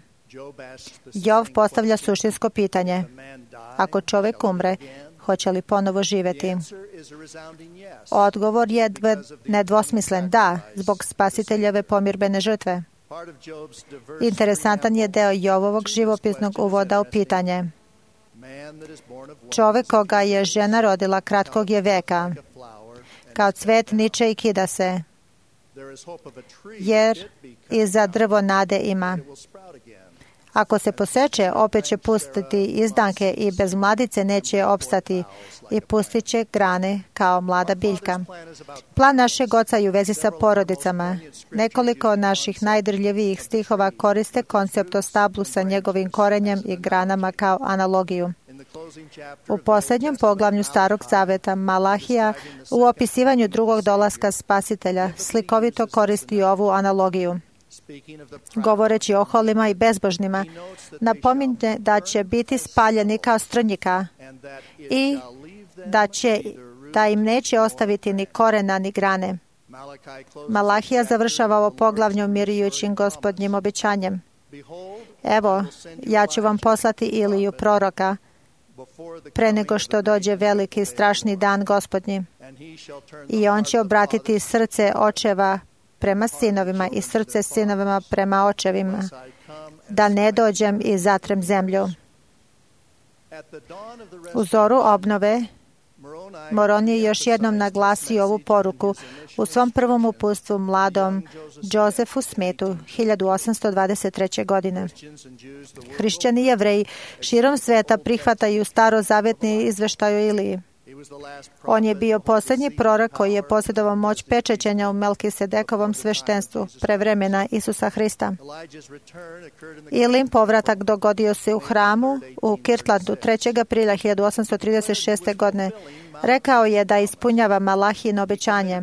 J: Jov postavlja suštinsko pitanje: ako čovjek umre, hoće li ponovo živjeti? Odgovor je nedvosmislen: da, zbog Spasiteljeve pomirbene žrtve. Interesantan je deo Jovovog živopisnog uvoda u pitanje. Čovjek koga je žena rodila kratkog je veka, kao cvet niče i kida se, jer i za drvo nade ima. Ako se poseče, opet će pustiti izdanke i bez mladice neće opstati i pustit će grane kao mlada biljka. Plan našeg oca je u vezi sa porodicama. Nekoliko naših najdrljivijih stihova koriste koncept o stablu sa njegovim korenjem i granama kao analogiju. U posljednjem poglavlju Starog zaveta Malahija u opisivanju drugog dolaska Spasitelja slikovito koristi ovu analogiju. Govoreći o holima i bezbožnima, napominje da će biti spaljeni kao strnjika i da im neće ostaviti ni korena ni grane. Malahija završava ovo poglavlje umirujućim Gospodnjim obećanjem. Evo, ja ću vam poslati Iliju proroka pre nego što dođe veliki i strašni dan Gospodnji. I on će obratiti srce očeva prema sinovima i srce sinovima prema očevima, da ne dođem i zatrem zemlju. U zoru obnove, Moroni je još jednom naglasio ovu poruku u svom prvom uputstvu mladom Josefu Smithu 1823. godine. Hrišćani i Jevreji širom sveta prihvataju starozavjetni izveštaj o Iliji. On je bio posljednji prorok koji je posjedovao moć pečećenja u Melkisedekovom sveštenstvu pre vremena Isusa Hrista. Ilijin povratak dogodio se u hramu u Kirtlandu 3. aprila 1836. godine. Rekao je da ispunjava Malahijino obećanje.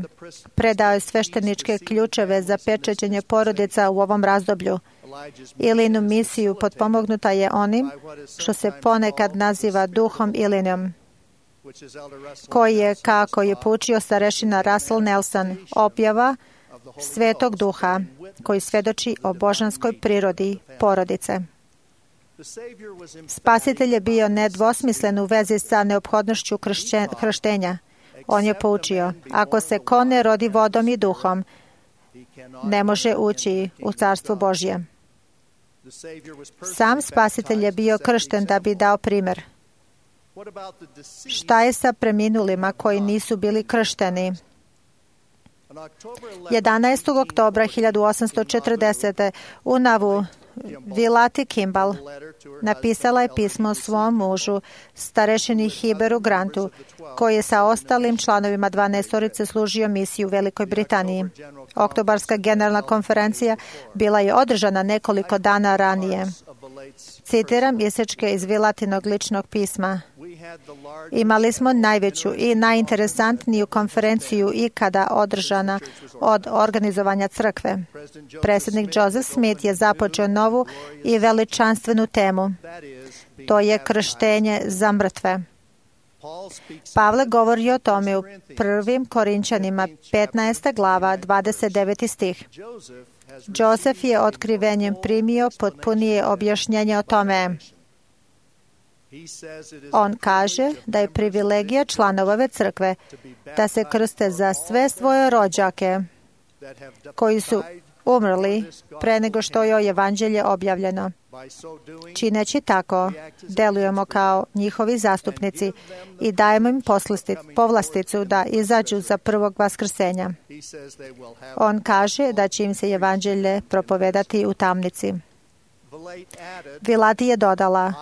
J: Predao je svešteničke ključeve za pečećenje porodica u ovom razdoblju. Ilijinu misiju potpomognuta je onim što se ponekad naziva duhom Ilinom, koji je, kako je poučio starešina Russell Nelson, objava Svetog Duha, koji svedoči o božanskoj prirodi porodice. Spasitelj je bio nedvosmislen u vezi sa neophodnošću krštenja. On je poučio, ako se ko ne rodi vodom i duhom, ne može ući u Carstvo Božje. Sam Spasitelj je bio kršten da bi dao primjer. Šta je sa preminulima koji nisu bili kršteni? 11. oktobra 1840. u Navu Vilati Kimball napisala je pismo svom mužu, starešini Hiberu Grantu, koji je sa ostalim članovima 12 služio misiju u Velikoj Britaniji. Oktobarska generalna konferencija bila je održana nekoliko dana ranije. Citiram isečke iz Vilatinog ličnog pisma. Imali smo najveću i najinteresantniju konferenciju ikada održana od organizovanja crkve. Predsjednik Joseph Smith je započeo novu i veličanstvenu temu. To je krštenje za mrtve. Pavle govori o tome u 1. Korinčanima 15. glava 29. stih. Josef je otkrivenjem primio potpunije objašnjenje o tome. On kaže da je privilegija članova ove crkve da se krste za sve svoje rođake koji su umrli pre nego što je evanđelje objavljeno. Čineći tako, delujemo kao njihovi zastupnici i dajemo im povlasticu da izađu za prvog vaskrsenja. On kaže da će im se evanđelje propovedati u tamnici. Vilati je dodala,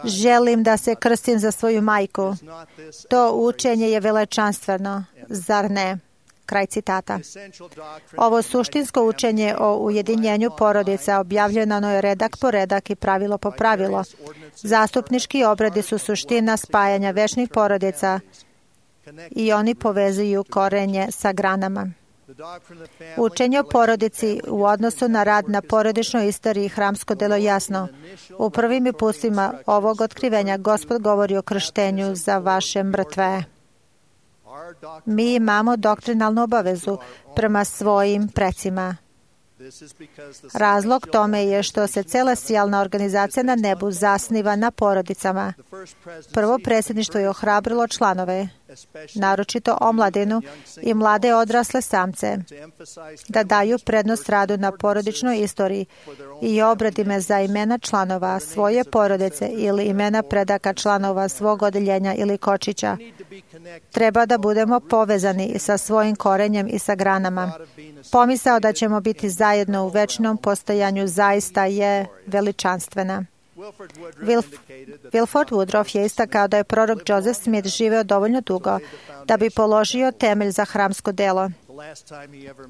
J: želim da se krstim za svoju majku. To učenje je veličanstveno, zar ne? Kraj citata. Ovo suštinsko učenje o ujedinjenju porodica objavljeno je redak po redak i pravilo po pravilo. Zastupnički obredi su suština spajanja večnih porodica i oni povezuju korenje sa granama. Učenje o porodici u odnosu na rad na porodičnoj istoriji hramsko delo jasno. U prvim uputstvima ovog otkrivenja Gospod govori o krštenju za vaše mrtve. Mi imamo doktrinalnu obavezu prema svojim precima. Razlog tome je što se celestijalna organizacija na nebu zasniva na porodicama. Prvo predsjedništvo je ohrabrilo članove, naročito omladinu i mlade odrasle samce, da daju prednost radu na porodičnoj istoriji i obredime za imena članova svoje porodice ili imena predaka članova svog odeljenja ili kočića. Treba da budemo povezani sa svojim korenjem i sa granama. Pomisao da ćemo biti zajedno u večnom postojanju zaista je veličanstvena. Wilford Woodruff je istakao da je prorok Joseph Smith živeo dovoljno dugo da bi položio temelj za hramsko delo.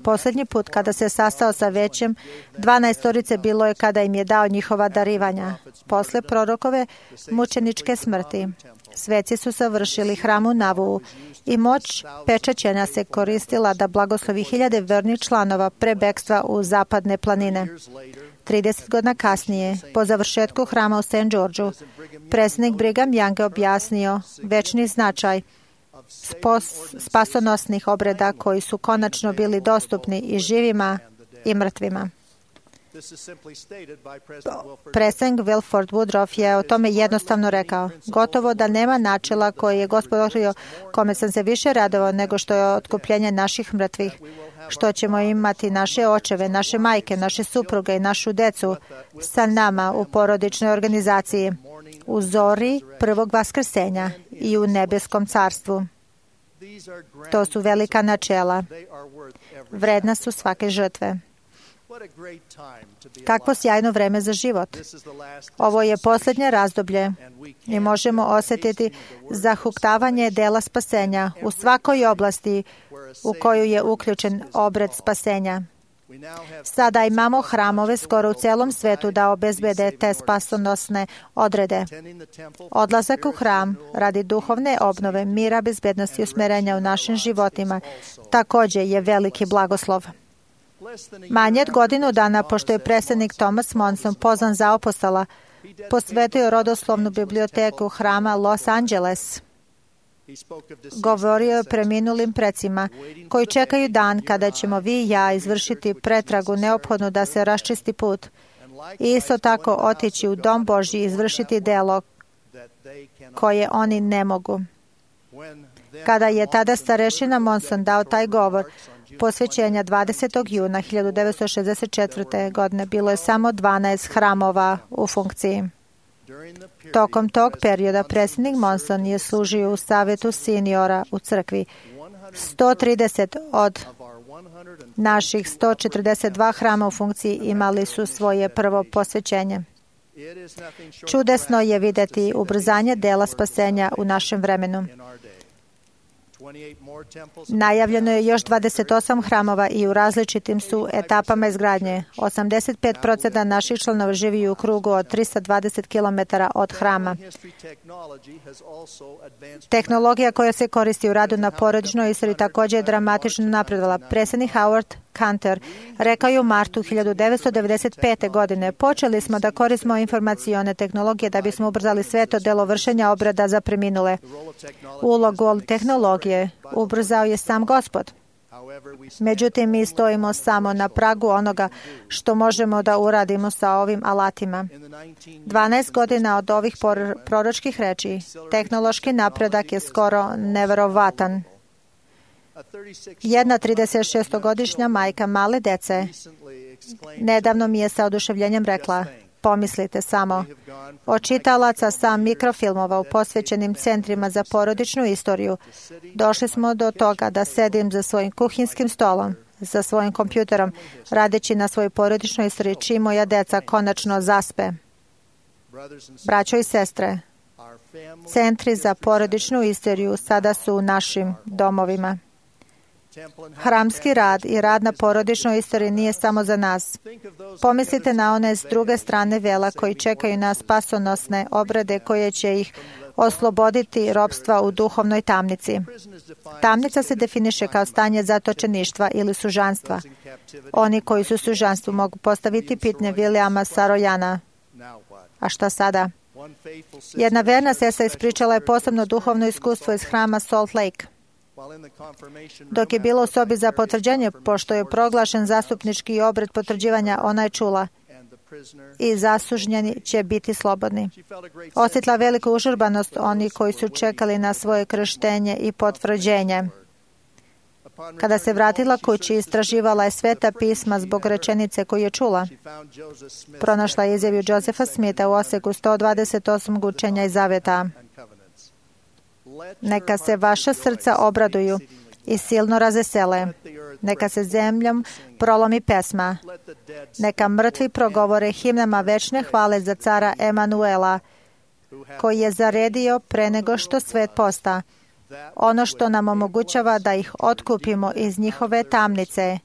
J: Posljednji put kada se sastao sa većem 12 bilo je kada im je dao njihova darivanja. Posle prorokove mučeničke smrti sveci su savršili hram u Navu i moć pečaćenja se koristila da blagoslovi 1000 vernih članova pre bekstva u zapadne planine. 30 godina kasnije, po završetku hrama u St. Georgeu, predsjednik Brigham Young je objasnio večni značaj spasonosnih obreda koji su konačno bili dostupni i živima i mrtvima. Predsjednik Wilford Woodruff je o tome jednostavno rekao: gotovo da nema načela koji je Gospod otkrio kome sam se više radovao nego što je otkupljenje naših mrtvih, što ćemo imati naše očeve, naše majke, naše supruge i našu decu sa nama u porodičnoj organizaciji, u zori prvog vaskrsenja i u nebeskom carstvu. To su velika načela. Vredna su svake žrtve. Kakvo sjajno vreme za život. Ovo je posljednje razdoblje i možemo osjetiti zahuktavanje dela spasenja u svakoj oblasti u koju je uključen obred spasenja. Sada imamo hramove skoro u celom svetu da obezbede te spasonosne odrede. Odlazak u hram radi duhovne obnove, mira, bezbednosti i usmerenja u našim životima također je veliki blagoslov. Manje od godinu dana pošto je predsjednik Thomas Monson pozvan za apostola, posvetio rodoslovnu biblioteku hrama Los Angeles. Govorio je preminulim precima koji čekaju dan kada ćemo vi i ja izvršiti pretragu neophodnu da se raščisti put i isto tako otići u Dom Božji i izvršiti delo koje oni ne mogu. Kada je tada starešina Monson dao taj govor posvećenja 20. juna 1964. godine, bilo je samo 12 hramova u funkciji. Tokom tog perioda predsjednik Monson je služio u savjetu seniora u crkvi. 130 od naših 142 hrama u funkciji imali su svoje prvo posvećenje. Čudesno je vidjeti ubrzanje dela spasenja u našem vremenu. Najavljeno je još 28 hramova i u različitim su etapama izgradnje. 85% naših članova živi u krugu od 320 km od hrama. Tehnologija koja se koristi u radu na porodičnoj istoriji također je dramatično napredovala. Predsjednik Howard Cantor rekao je u martu 1995. godine: počeli smo da koristimo informacione tehnologije da bismo ubrzali sveto delo vršenja obreda za preminule. Ulogu tehnologije ubrzao je sam Gospod. Međutim, mi stojimo samo na pragu onoga što možemo da uradimo sa ovim alatima. 12 godina od ovih proročkih reči, tehnološki napredak je skoro neverovatan. Jedna 36-godišnja majka male dece nedavno mi je sa oduševljenjem rekla: pomislite samo, od čitalaca sa mikrofilmova u posvećenim centrima za porodičnu istoriju došli smo do toga da sedim za svojim kuhinskim stolom, za svojim kompjuterom, radeći na svojoj porodičnoj istoriji čim moja deca konačno zaspe. Braćo i sestre, centri za porodičnu istoriju sada su u našim domovima. Hramski rad i rad na porodičnoj istoriji nije samo za nas. Pomislite na one s druge strane vela koji čekaju na spasonosne obrede koje će ih osloboditi ropstva u duhovnoj tamnici. Tamnica se definiše kao stanje zatočeništva ili sužanstva. Oni koji su u sužanstvu mogu postaviti pitanje Williama Sarojana: a šta sada? Jedna verna sestra ispričala je posebno duhovno iskustvo iz hrama Salt Lake. Dok je bilo u sobi za potvrđenje, pošto je proglašen zastupnički obred potvrđivanja, ona je čula: i zasužnjeni će biti slobodni. Osjetila veliku užurbanost oni koji su čekali na svoje krštenje i potvrđenje. Kada se vratila kući, istraživala je Sveta pisma zbog rečenice koju je čula. Pronašla je izjavu Josepha Smitha u oseku 128 učenja i zaveta: neka se vaša srca obraduju i silno razvesele. Neka se zemljom prolomi pesma. Neka mrtvi progovore himnama večne hvale za cara Emanuela, koji je zaredio pre nego što svet posta, ono što nam omogućava da ih otkupimo iz njihove tamnice,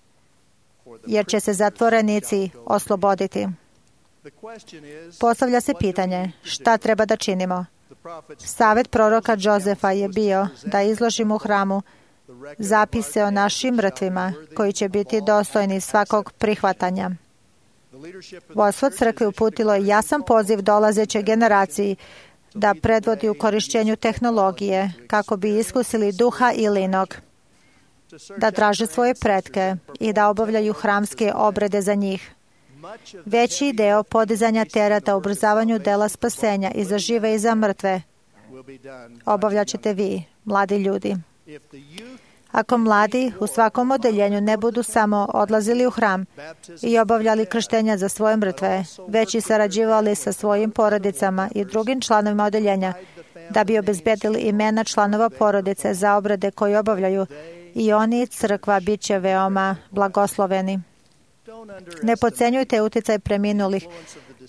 J: jer će se zatvorenici osloboditi. Postavlja se pitanje: šta treba da činimo? Savjet proroka Josefa je bio da izložimo u hramu zapise o našim mrtvima koji će biti dostojni svakog prihvatanja. Vodstvo crkve uputilo je jasan poziv dolazećoj generaciji da predvodi u korišćenju tehnologije kako bi iskusili duha Ilinog, da traže svoje pretke i da obavljaju hramske obrede za njih. Veći deo podizanja tereta u ubrzavanju dela spasenja i za žive i za mrtve obavljaćete vi, mladi ljudi. Ako mladi u svakom odeljenju ne budu samo odlazili u hram i obavljali krštenja za svoje mrtve, već i sarađivali sa svojim porodicama i drugim članovima odeljenja da bi obezbedili imena članova porodice za obrede koje obavljaju, i oni, crkva, bit će veoma blagosloveni. Ne podcenjujte uticaj preminulih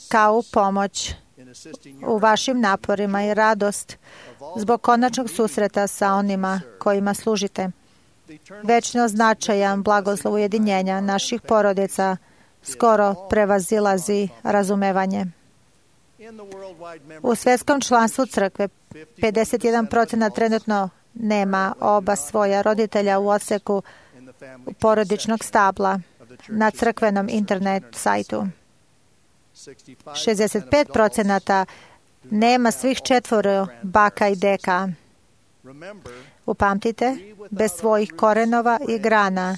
J: kao pomoć u vašim naporima i radost zbog konačnog susreta sa onima kojima služite. Večno značajan blagoslov ujedinjenja naših porodica skoro prevazilazi razumevanje. U svetskom članstvu crkve 51% trenutno nema oba svoja roditelja u odseku porodičnog stabla na crkvenom internet sajtu. 65% nema svih četvoro baka i deka. Upamtite, bez svojih korenova i grana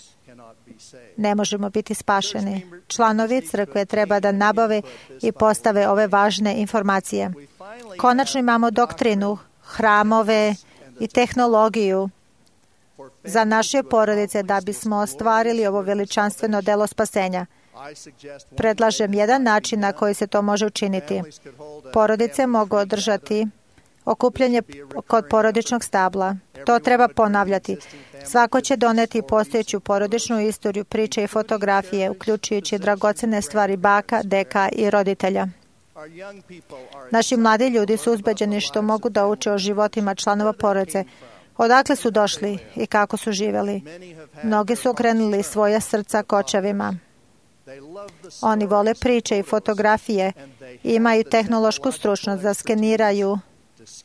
J: ne možemo biti spašeni. Članovi crkve treba da nabave i postave ove važne informacije. Konačno imamo doktrinu, hramove i tehnologiju za naše porodice da bismo ostvarili ovo veličanstveno delo spasenja. Predlažem jedan način na koji se to može učiniti. Porodice mogu održati okupljanje kod porodičnog stabla. To treba ponavljati. Svako će doneti postojeću porodičnu istoriju, priče i fotografije, uključujući dragocene stvari baka, deka i roditelja. Naši mladi ljudi su uzbeđeni što mogu da uče o životima članova porodice, odakle su došli i kako su živjeli. Mnogi su okrenuli svoja srca k očevima. Oni vole priče i fotografije i imaju tehnološku stručnost da skeniraju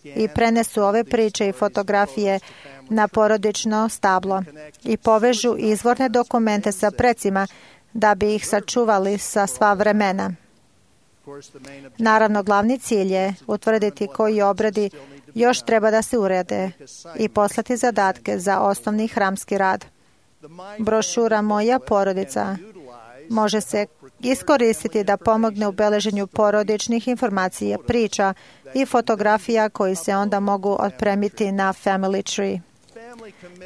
J: i prenesu ove priče i fotografije na porodično stablo i povežu izvorne dokumente sa precima da bi ih sačuvali sa sva vremena. Naravno, glavni cilj je utvrditi koji obredi još treba da se urede i poslati zadatke za osnovni hramski rad. Brošura Moja porodica može se iskoristiti da pomogne u beleženju porodičnih informacija, priča i fotografija koji se onda mogu otpremiti na Family Tree.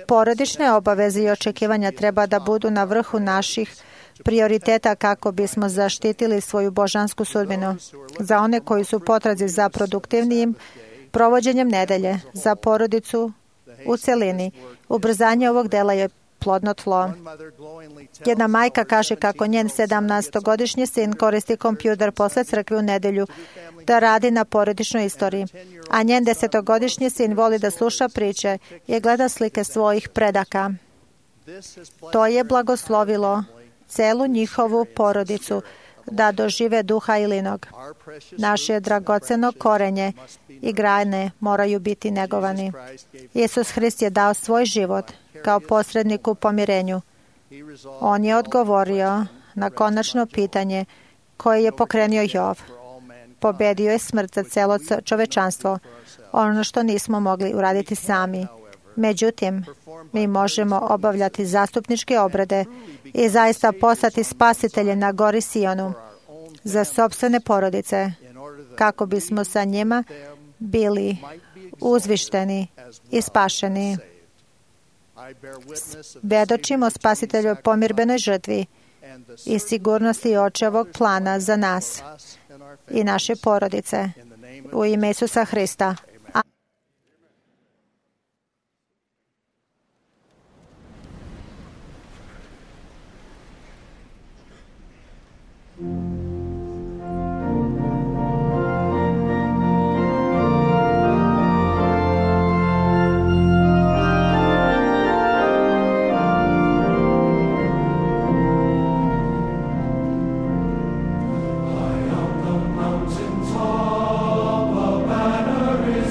J: Porodične obaveze i očekivanja treba da budu na vrhu naših prioriteta kako bismo zaštitili svoju božansku sudbinu. Za one koji su potrazi za produktivnijim provođenjem nedelje, za porodicu u celini, ubrzanje ovog dela je plodno tlo. Jedna majka kaže kako njen 17-godišnji sin koristi kompjuter posle crkve u nedelju da radi na porodičnoj istoriji, a njen 10-godišnji sin voli da sluša priče i gleda slike svojih predaka. To je blagoslovilo celu njihovu porodicu da dožive duha Ilinog. Naše dragoceno korenje i grane moraju biti negovani. Isus Hrist je dao svoj život kao posrednik u pomirenju. On je odgovorio na konačno pitanje koje je pokrenio Jov. Pobedio je smrt za celo čovečanstvo, ono što nismo mogli uraditi sami. Međutim, mi možemo obavljati zastupničke obrede i zaista postati spasitelje na gori Sionu za sopstvene porodice, kako bismo sa njima bili uzvišteni i spašeni. Svedočimo Spasiteljoj pomirbenoj žrtvi i sigurnosti očevog plana za nas i naše porodice. U ime Isusa Hrista.
N: Mountain top, a banner is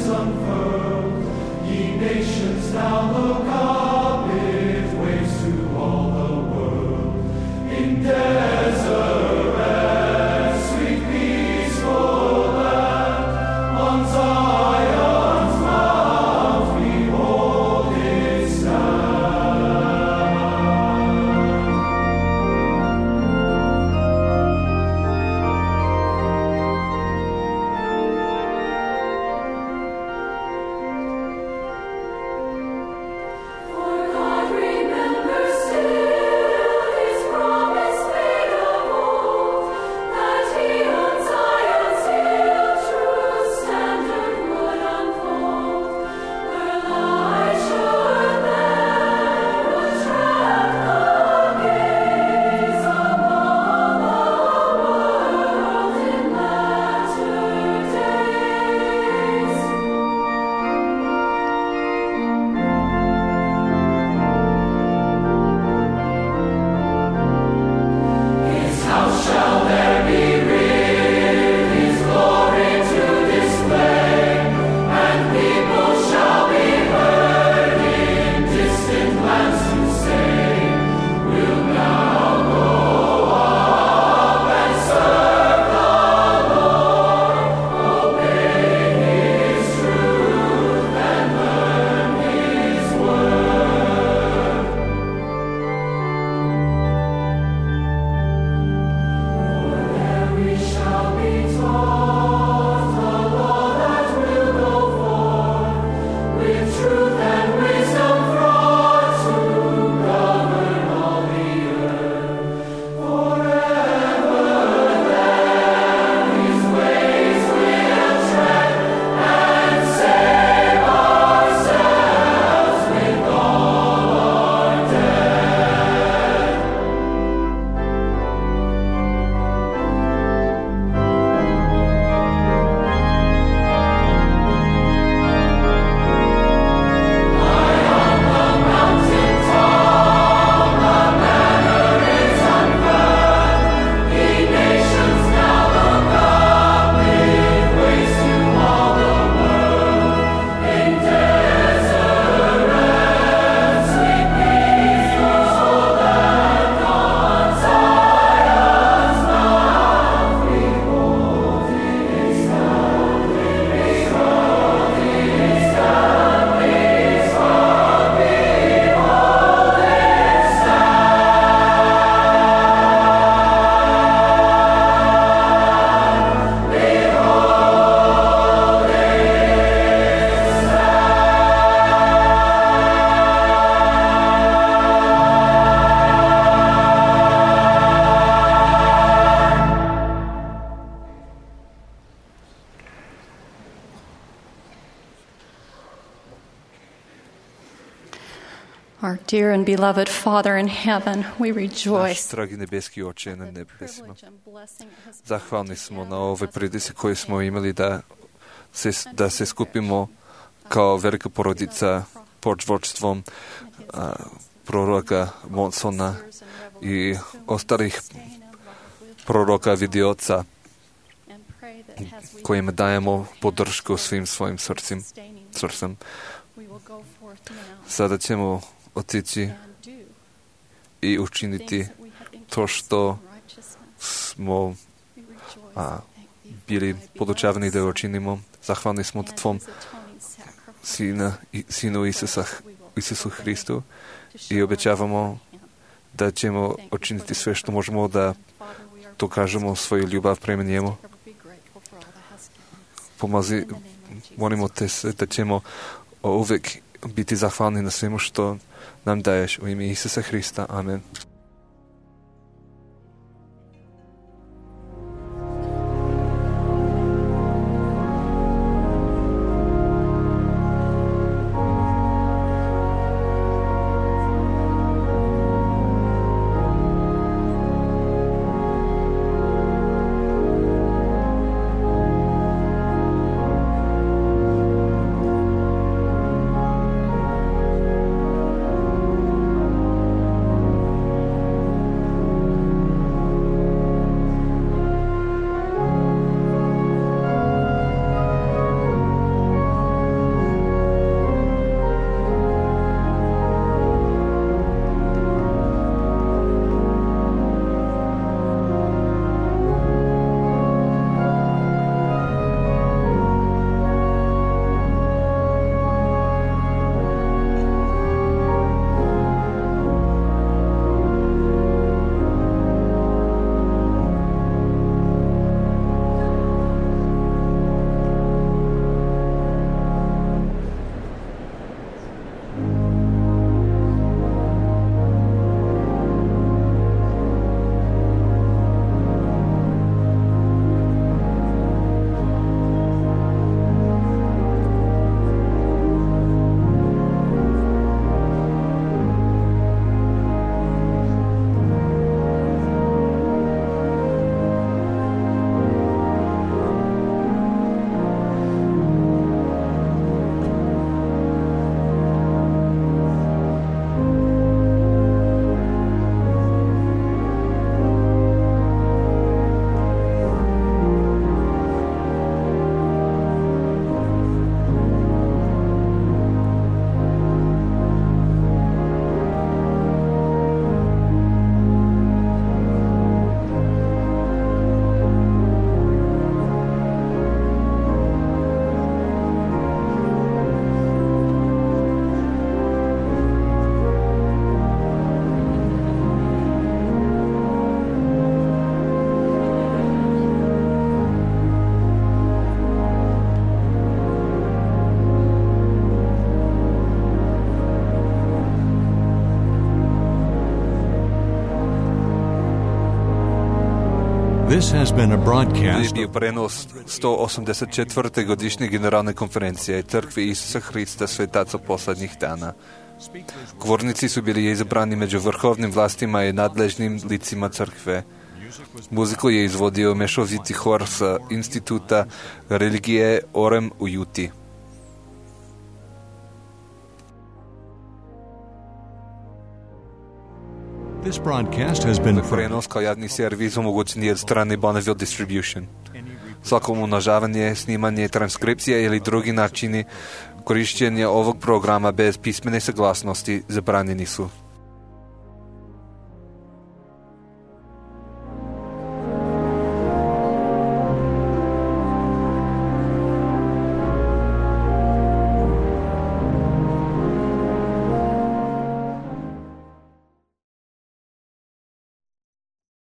N: Dear and beloved Father in heaven, we rejoice.
B: Наш драги небески Отче на небесima. Zahvalni smo na ovoj prilici koju smo imali da se skupimo kao velika porodica pod vodstvom proroka Monsona i ostalih proroka vidioca kojima dajemo podršku svim svojim srcem. Sada ćemo otići i učiniti to što smo bili podučavani da učinimo. Zahvalni smo Tvom Sinu Isusu Hristu i obećavamo da ćemo učiniti sve što možemo da dokažemo svoju ljubav prema njemu. Molimo te se da ćemo uvijek biti zahvalni na svemu što nam daješ. U ime Isusa Hrista. Amen.
A: This has been a broadcast.
B: Bio prenos 184. godišnje generalne konferencije Crkve Isusa Hrista svetaca poslednjih dana. Govornici su bili izabrani među vrhovnim vlastima i nadležnim licima crkve. Muziku je izvodio mešoviti hor sa Instituta religije Orem u Juti.
A: This broadcast has been
B: prenos kao javni servis omogućen je od strane Bonneville Distribution. Svako umnožavanje, snimanje, transkripcija ili drugi načini korišćenja ovog programa bez pismene saglasnosti zabranjeni su.